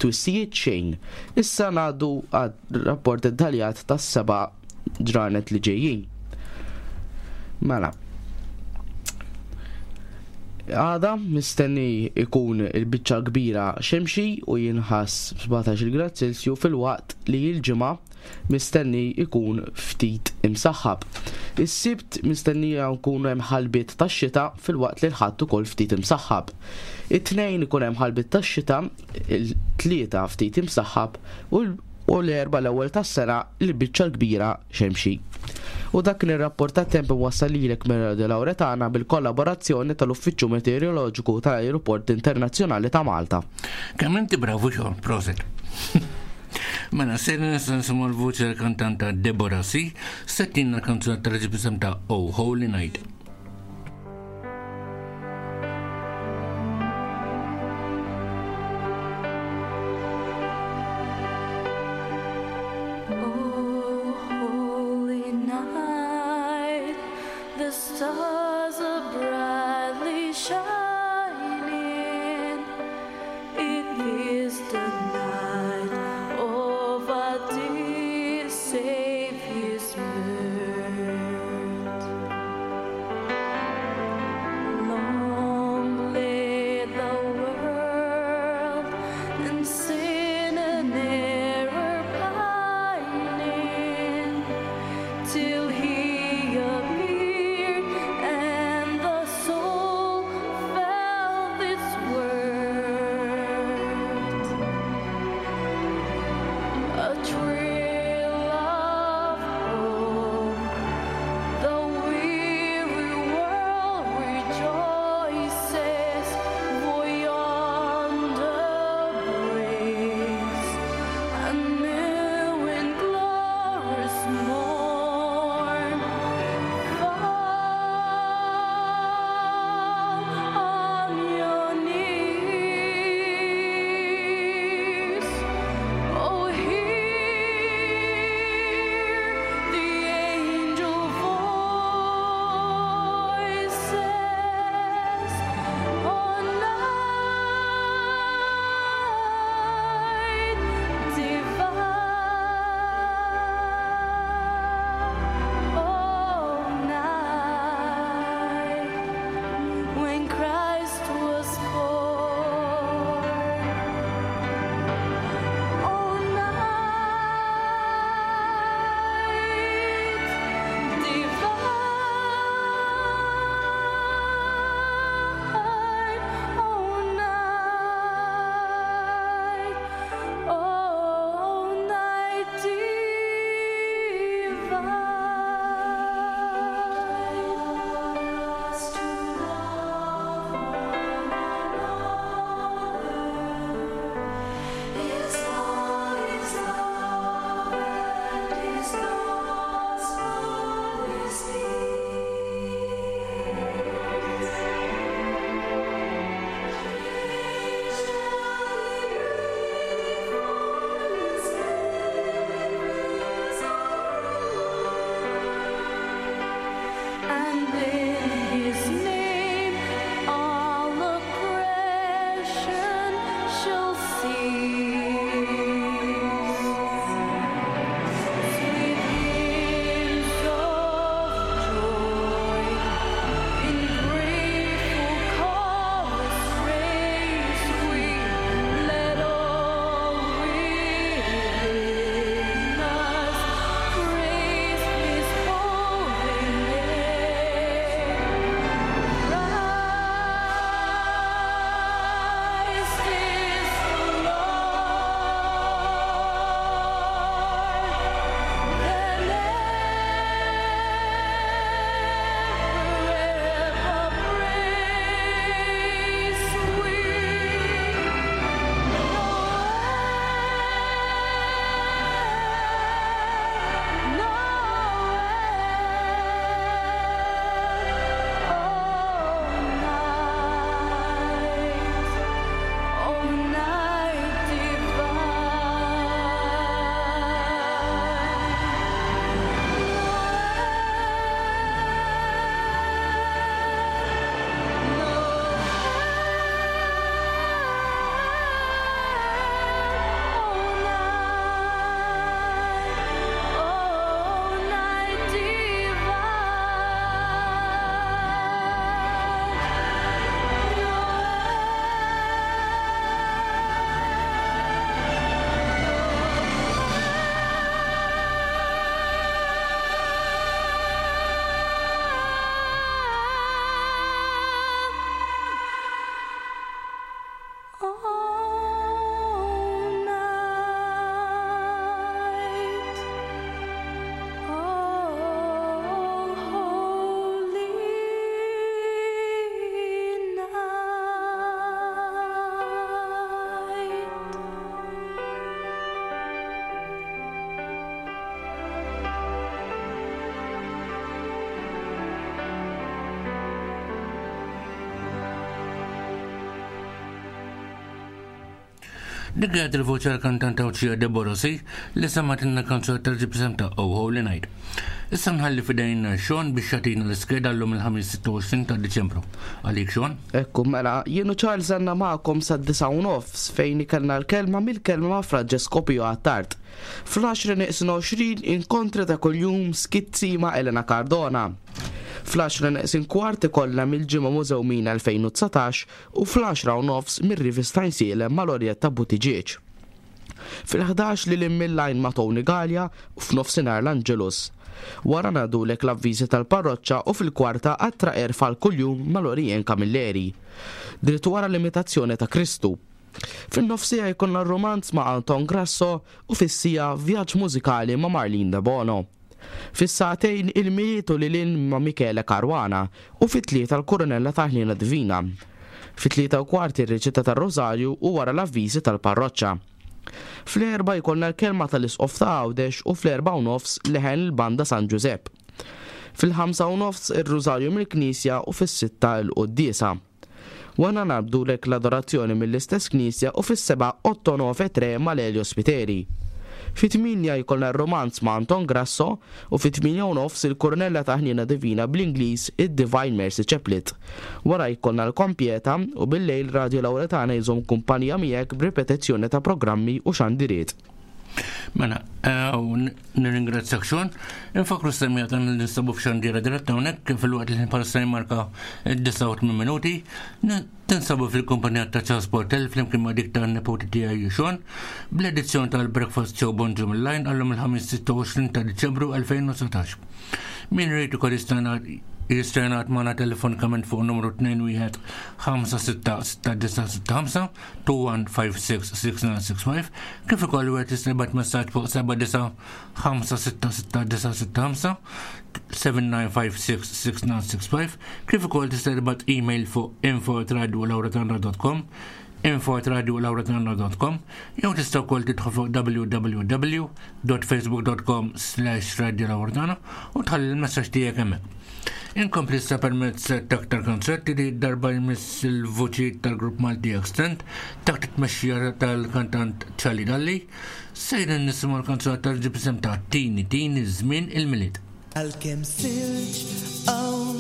S7: Twissijiet xejn. Issa ngħaddu għar-rapport dettaljat tas-seba' ġranet li ġejjin. Mela. Għada mistenni ikun il-biċċa kbira xemxi u jinħass 17 grad Celsiju filwaqt li l-Ġimgħa mistenni ikun ftit imsaħħab. Is-Sibt mistennija jkun hemm ħalbiet tax-xita filwaqt li l-Ħadd ukoll ftit imsaħħab. It-Tnejn ikun hemm ħalbiet tax-xita, il-Tlieta ftit imsaħħab u u l-Erbgħa l-ewwel tas-sena l-biċċa l-kbira xemxi. U dak kien ir-rapport tat-temp imwassal lilek minn Radio Lauretana bil-kollaborazzjoni tal-Uffiċċju Meteoroloġiku tal-Ajruport Internazzjonali ta' Malta.
S8: Kemm inti bravu xogħol, proset. Mela, ser nista' nisimgħu l-vuċi tal-kantanta Deborah C. Settina l-kanzunetta li ġib ta' Oh Holy Night.
S4: Oh, holy night, the stars are brightly shining. It is the night of our dear Savior's birth. Long lay the world in sin and error pining, till he appeared and the
S8: Dik kienet il-voċi tal-kantanta Għawdxija Deborah C. li semgħetilna kanzunetta li ġib isem ta' Oh Holy Night. Issa nħalli f'idejn Sean biex jagħtina l-iskeda llum il-Ħamis 26 ta' Diċembru. Għalik Sean.
S7: Ekku, mela, jien u Charles għandna magħkom sad-disgħa u nofs fejn ikellna l-kelma mill-kelma ma' Fra Ġesko Pio Attard. Fl-għaxra neqsin 20 inkontri ta' kuljum skizzi ma' Elena Cardona. Fl-għaxra neqsin kwart ikollna mill-Ġimgħa Mużewmin 2019 u fl-10:30 mir-Rivista Għajnsielem ma' Lorietta Buttigieg. Fil-11 lil hinn mill-għajn ma' Tony Galea u f'nofsinhar l-Angelus. Wara ngħaddulek l-avviżi tal-parroċċa u fil-kwarta Attra Għerf għal kuljum ma' Lorien Camilleri. Dritt wara l-imitazzjoni ta' Kristu. Fin-nofsiegħa jkollna r-rumanz ma' Anton Grasso u fis-siegħa vjaġġ mużikali ma' Marlene Debono. Fis-sagħtejn il-Milied u lil hinn ma' Michele Caruana u fit-tlieta l-Kurunella tal-Ħniena Divina. Fit-3:15 ir-riċetta tar-Rużarju u wara l-avviżi tal-parroċċa. Fl-erbgħa jkollna l-kelma tal-Isqof ta' Għawdex u fl-4:30 leħen il-Banda San Ġużepp. Fil-5:30 ir-Rużarju mill-Knisja u fis-sitta l-Quddiesa. Wara ngħaddulek l-adorazzjoni mill-istess knisja u fis-sebgħa Otto Nove Tre ma' Lelio Spiteri. Fit-tmienja jkollna r-rumanz ma' Anton Grasso u fit-8:30 il-Kurnella ta' Ħniena Divina bl-Ingliż id-Divine Mercy Chaplet. Wara jkollna l-Kompieta u bil-lejl Radio Lauretana jżomm kumpanija miegħek b'ripetizzjoni ta' programmi u xandiriet.
S8: Mela, eh, nirringrazzjak Sean. Infakru s-semmija tan li ninsabu f'xandira diretta hawnhekk fil-waqt li bħalissa jmarka d-89 minuti. Tinsabu fil-kumpanija ta' Charles Portel flimkien ma' dik ta' nepoti tiegħi Sean bl-edizzjoni tal-Breakfast Show Bonġu mill-Line għallum il-ħamis 26 ta' Diċembru 2019. Min rrid ukoll jista' jingħad magħna telefonikament fuq numru 21 56 6965 21566965 kif ukoll wieħed jista' jibgħat messaġġ fuq 79566965 79566965 kif ukoll tista' tibgħat email fuq info@radiolauretana.com info@radiolauretana.com jew tista' wkoll tidħol fuq www.facebook.com slash radiolauretana u tħalli l-messaġġ tiegħek hemmhekk. Inkompli issa permezz ta' aktar kanzunetti li darba jmiss il-vuċi tal-grupp Malti Extend taħt it-tmexxija tal-kantant Charlie Dalli. Sejrin nisimgħu l-kanzunetta li ġib isem ta' Tini Tini Żmien il-Milied.
S13: Għalkemm silġ hawn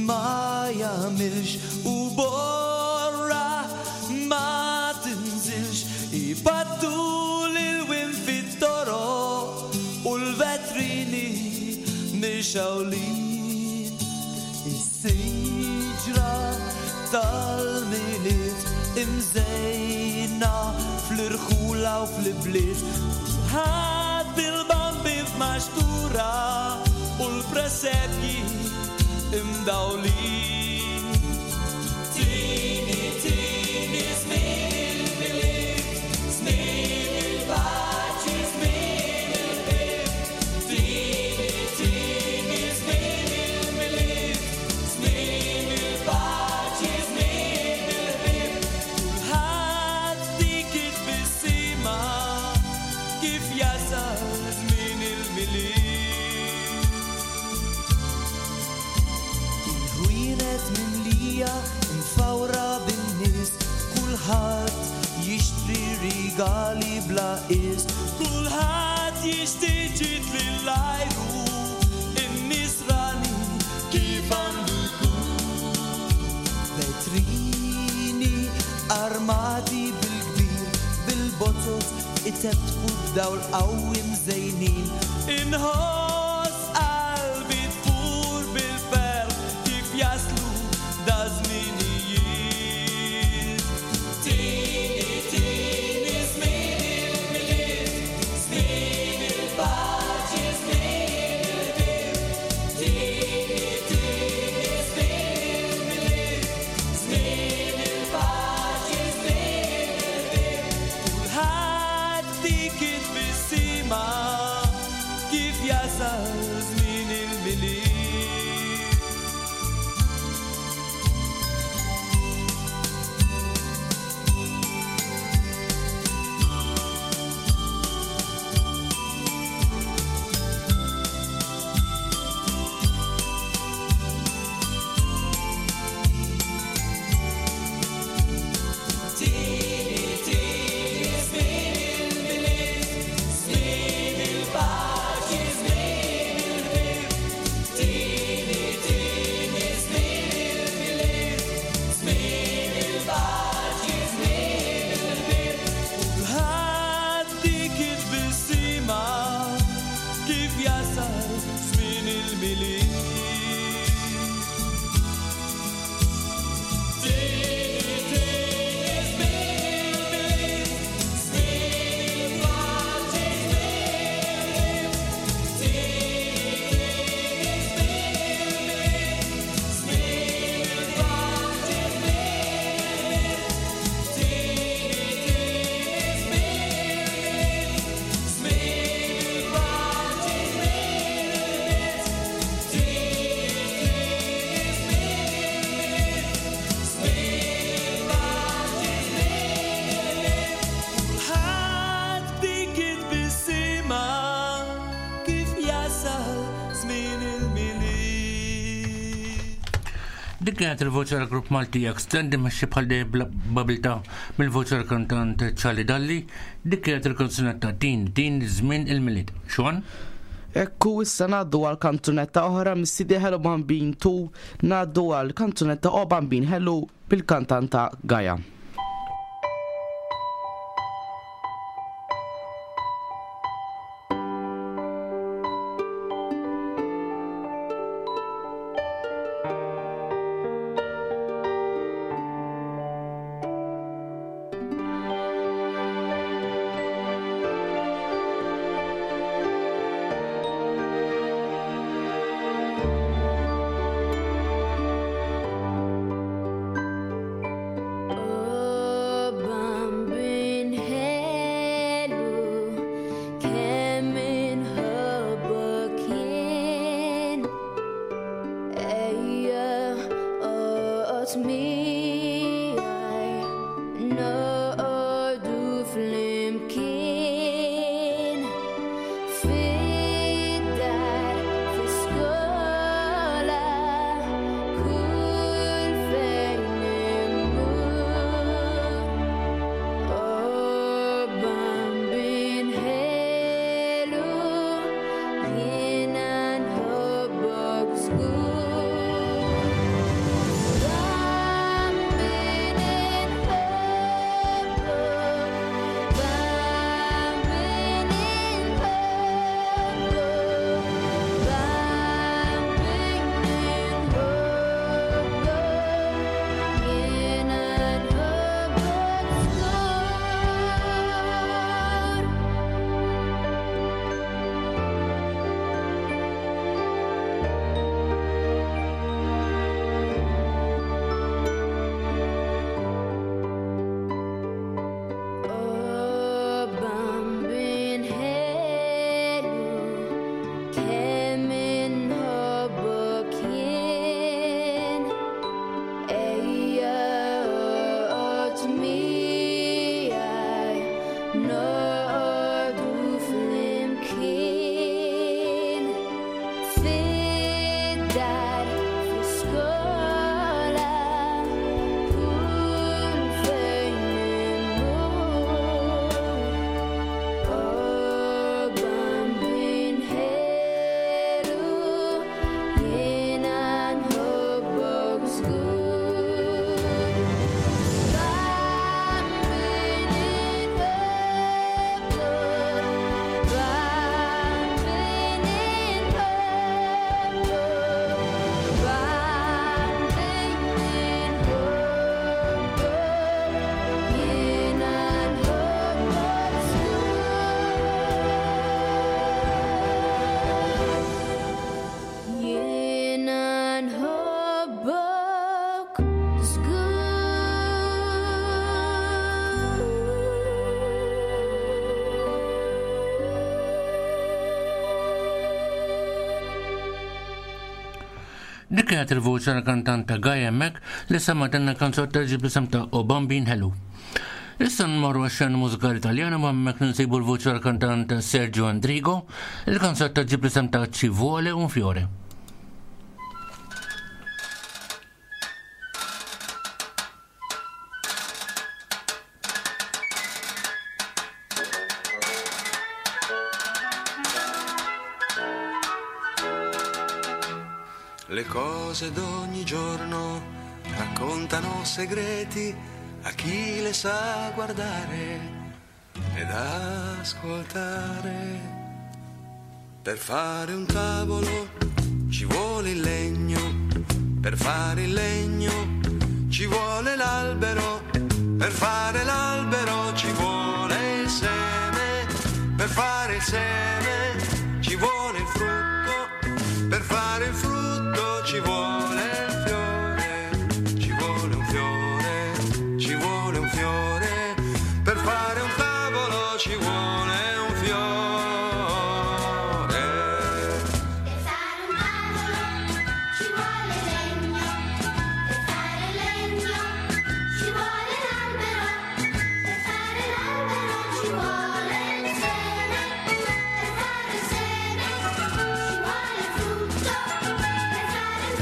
S13: ma jagħmilx u borra ma tinżilx ipattu l-ilwien fit-toroq u l-vetrini mixgħulin. Is-siġra tal-Milied imżejna fl-irħula u fl-ibliet. Kulħadd bil-bambi f'maxtura u l-presepji imdawlin. Tini, tini, żmien il-Milied, żmien il-paċi, żmien il-ħbieb. Tini, tini, żmien il-Milied, żmien il-paċi, żmien il-ħbieb. Kulħadd dik it-tbissima kif jasal żmien il-Milied. Il-ħwienet mimlija mfawra bin-nies, kulħadd jixtri rigali bla qies. Kulħadd jixtieq ġid lill-ajru, in-nisrani kif għandu jkun. Vetrini armati bil-kbir, bil-botot itebtbu b'dawl qawwi mżejnin. Inħoss qalbi tfur bil-ferħ kif jaslu da żminijiet. Tini, tini, żmien il-Milied, żmien il-paċi, żmien il-ħbieb. Tini, tini, żmien il-Milied, żmien il-paċi, żmien il-ħbieb. Kulħadd dik it-tbissima kif jasal.
S14: Kulħadd b'dik it-tbissima kif jasal żmien il-Milied.
S8: Dik kienet il-voċi tal-grupp Malti Extend imexxi bħal dejjem b'abiltà mill-voċi tal-kantant Charlie Dalli. Dik kienet il-kanzunetta Din Din Żmien il-Milied. Sean?
S7: Ekku issa ngħaddu għal kanzunetta oħra mis-CD Hello Bambin 2 ngħaddu għal kanzunetta O Bambin Hello bil-kantanta Gaia.
S4: O Bambin ħelu, kemm inħobbok jien. Ejja oqgħod miegħi, noqogħdu flimkien. Fid-dar, fl-iskola, kull fejn immur. O Bambin ħelu, jiena nħobbok żgur. Bambin inħobbok, Bambin inħobbok, Bambin inħobbok, jiena nħobbok żgur. O Bambin ħelu, kemm inħobbok jien. Ejja oqgħod miegħi, noqogħdu flimkien. Fid-dar, fl-iskola, kull fejn immur. O Bambin ħelu, jiena nħobbok żgur. Bambin inħobbok, Bambin inħobbok, Bambin inħobbok, jiena nħobbok żgur. Jiena nħobbok
S8: Dik kienet il-voċi tal-kantanta Gaia hemmhekk li sematenna kanzunetta ġib isem ta' O Bambin Hello. Issa nmorru għax-xena mużikali Taljana ma hemmhekk nsibu l-voċi tal-kantant Sergio Andrigo, il-kanzunetta ġib isem ta' Ci vuole un fiore.
S15: Le cose d'ogni giorno raccontano segreti a chi le sa guardare ed ascoltare. Per fare un tavolo ci ci vuole il legno, per fare il legno ci vuole l'albero, per fare l'albero ci vuole il seme, per fare il seme ci vuole il frutto, per fare il frutto ci vuole il fiore, ci vuole un fiore, ci vuole un fiore, per fare un tavolo ci vuole un fiore.
S9: Per fare un tavolo ci vuole legno, per fare legno ci vuole l'albero, per fare l'albero ci vuole il seme, per fare il seme ci vuole il frutto, per fare il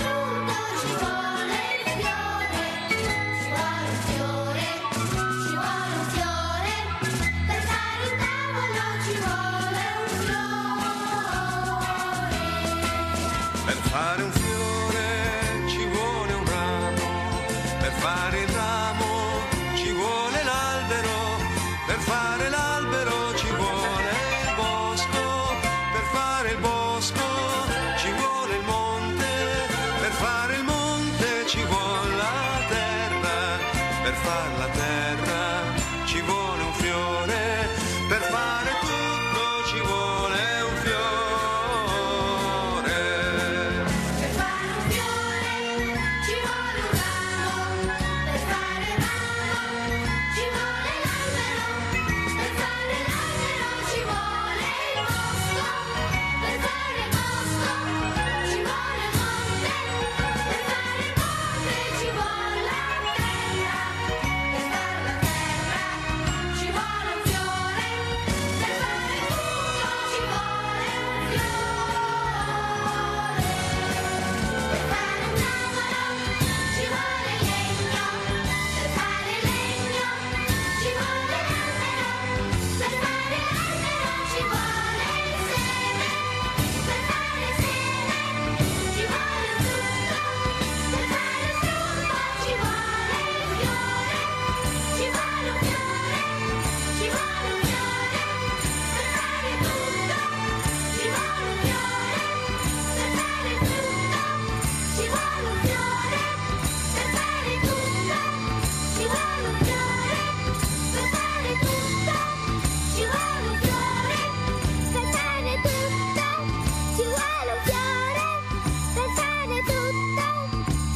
S9: frutto ci vuole il fiore, ci vuole un fiore, ci vuole un fiore, per fare un tavolo ci vuole un fiore.
S15: Per fare un fiore ci vuole un ramo, per fare il ramo ci vuole l'albero, per fare l'albero ci vuole il bosco, per fare il bosco ci vuole il monte, per fare il monte ci vuole la terra, per fare la terra ci vuole un fiore, per fare tutto ci vuole un fiore.
S9: Per fare un fiore ci vuole un ramo, per fare il ramo ci vuole l'albero, per fare l'albero ci vuole il bosco, per fare il bosco ci vuole il monte, per fare il monte ci vuole la terra, per fare la terra ci vuole un fiore, per fare tutto ci vuole un fiore. Per fare un tavolo ci vuole legno, per fare legno ci vuole l'albero, per fare l'albero ci vuole il seme, per fare il seme ci vuole il frutto, per fare il frutto ci vuole il fiore, ci vuole un fiore, ci vuole un fiore, per fare tutto ci vuole un fiore, per fare tutto ci vuole un fiore, per fare tutto ci vuole un fiore, per fare tutto ci vuole un fiore, per fare tutto ci vuole un fiore, per fare tutto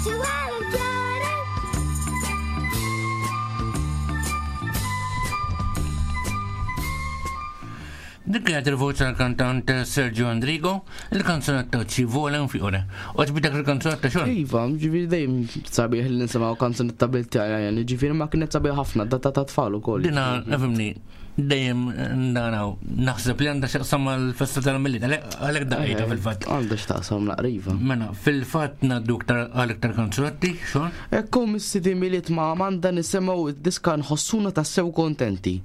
S9: ci vuole un fiore.
S8: Dik kienet il-voċi tal-kantant Sergio Andrigo, il-kanzunetta Ci vuole un fiore. Oġbitek il-kanzunetta xogħol?
S7: Iva, ġifieri dejjem sabiħ li nisimgħu kanzunetta bil-Taljan, ġifieri ma kienet sabiħ ħafna, data ta' tfal ukoll.
S8: Dina, fimni, dejjem naraw, naħseb li għandha x'taqsam mal-festa tal-Milied, għalhekk daqqietha fil-fatt.
S7: Għandha x'taqsam naqriva.
S8: Mela, fil-fatt ngħaddu iktar għal iktar kanzunetti, xogħol?
S7: Ekku mis-sidi Milied ma' Amanda nisimgħu id-diska nħossuna tassew kontenti.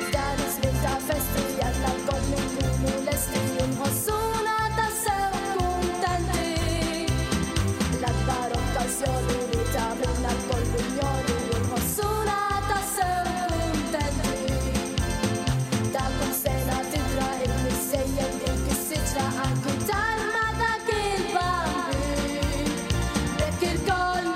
S16: F'dan iż-żmien ta' festi jalla lkoll inkunu lesti u nħossuna tassew kuntenti. L-akbar okkażjoni li tagħmilna lkoll unjoni u nħossuna tassew kuntenti. Ta' kull sena tidra il-missejjen dik is-siġra anki tarma dak il-bambin. Bekk ilkoll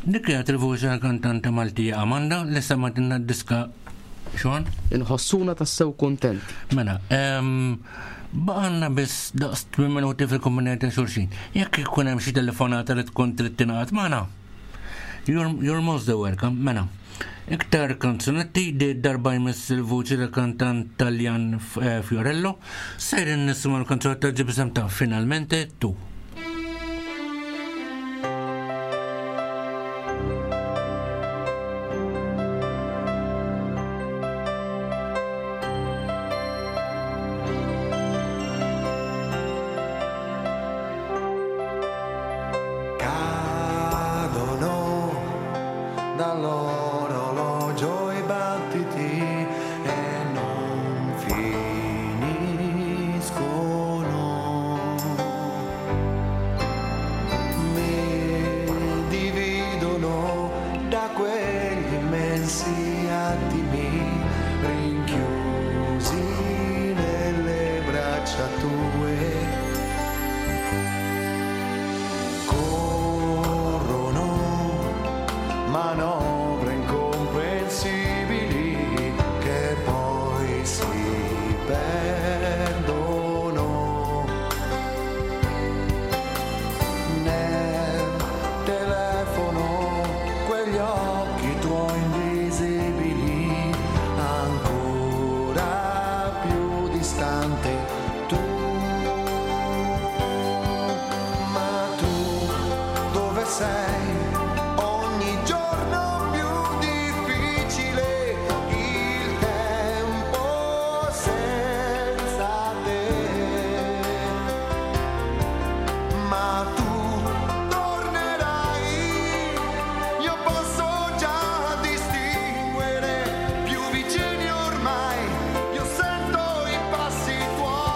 S8: Dik kienet il-vuċi tal-kantanta Maltija Amanda li sematilna d-diska xon?
S7: Inħossuna tassew kuntenti.
S8: Mela, baqanna biss daqs 8 minuti fil-kumpanija ta' xulxin. Jekk ikun hemm xi telefonata li tkun trid tingħaqad magħna, you're most welcome, mela. Iktar kanzunetti di darba jmiss il-vuċi ta' kantant Taljan Fiorello, sejrin nisimgħu l-kanzunetta ġibisem ta' Finalmente Tu.
S15: Cadono dall'orologio i battiti e non finiscono. Mi dividono da quegli immensi attimi rinchiusi nelle braccia tue. Corrono manovre incomprensibili che poi si perdono nel telefono quegli occhi tuoi invisibili ancora più distante tu, ma tu dove sei? Ogni giorno più difficile il tempo senza te, ma tu tornerai, io posso già distinguere più vicini ormai, io sento i passi tuoi.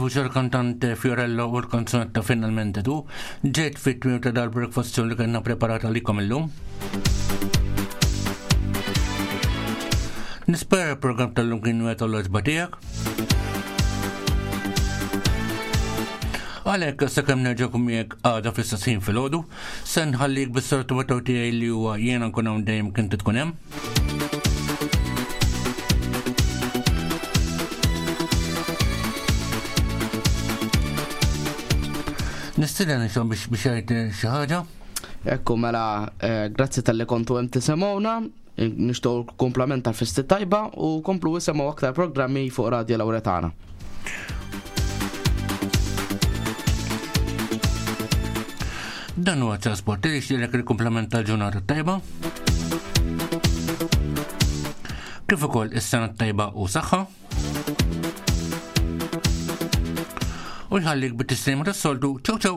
S8: Bil-vuċi tal-kantante Fiorello u l-kanzunetta Finalmente Tu, ġejt fit-tmiem ta' dal-breakfast show li kellna preparata għalikom illum. Nispera l-programm tal-lum kien wieħed għall-għoġba tiegħek. Għalhekk sakemm nerġa' nkun miegħek għada fl-istess ħin filgħodu, se nħallik bis-sortu tiegħi li huwa jiena nkun hawn dejjem kien tkun hemm. Nistieden inxom biex biex jgħid eh, xi ħaġa.
S7: Ekku mela eh, grazzi tal-li kontu hemm tisemgħuna, nixtieq kumplament tal-festi tajba u komplu isemgħu aktar programmi fuq Radio Lauretana.
S8: Dan huwa trasport li jixtieqlek il-kumplament tal-ġurnata tajba. Kif ukoll is-sena tajba u saħħa. U jħallik bit-tislima tas-soltu. Ciao ciao!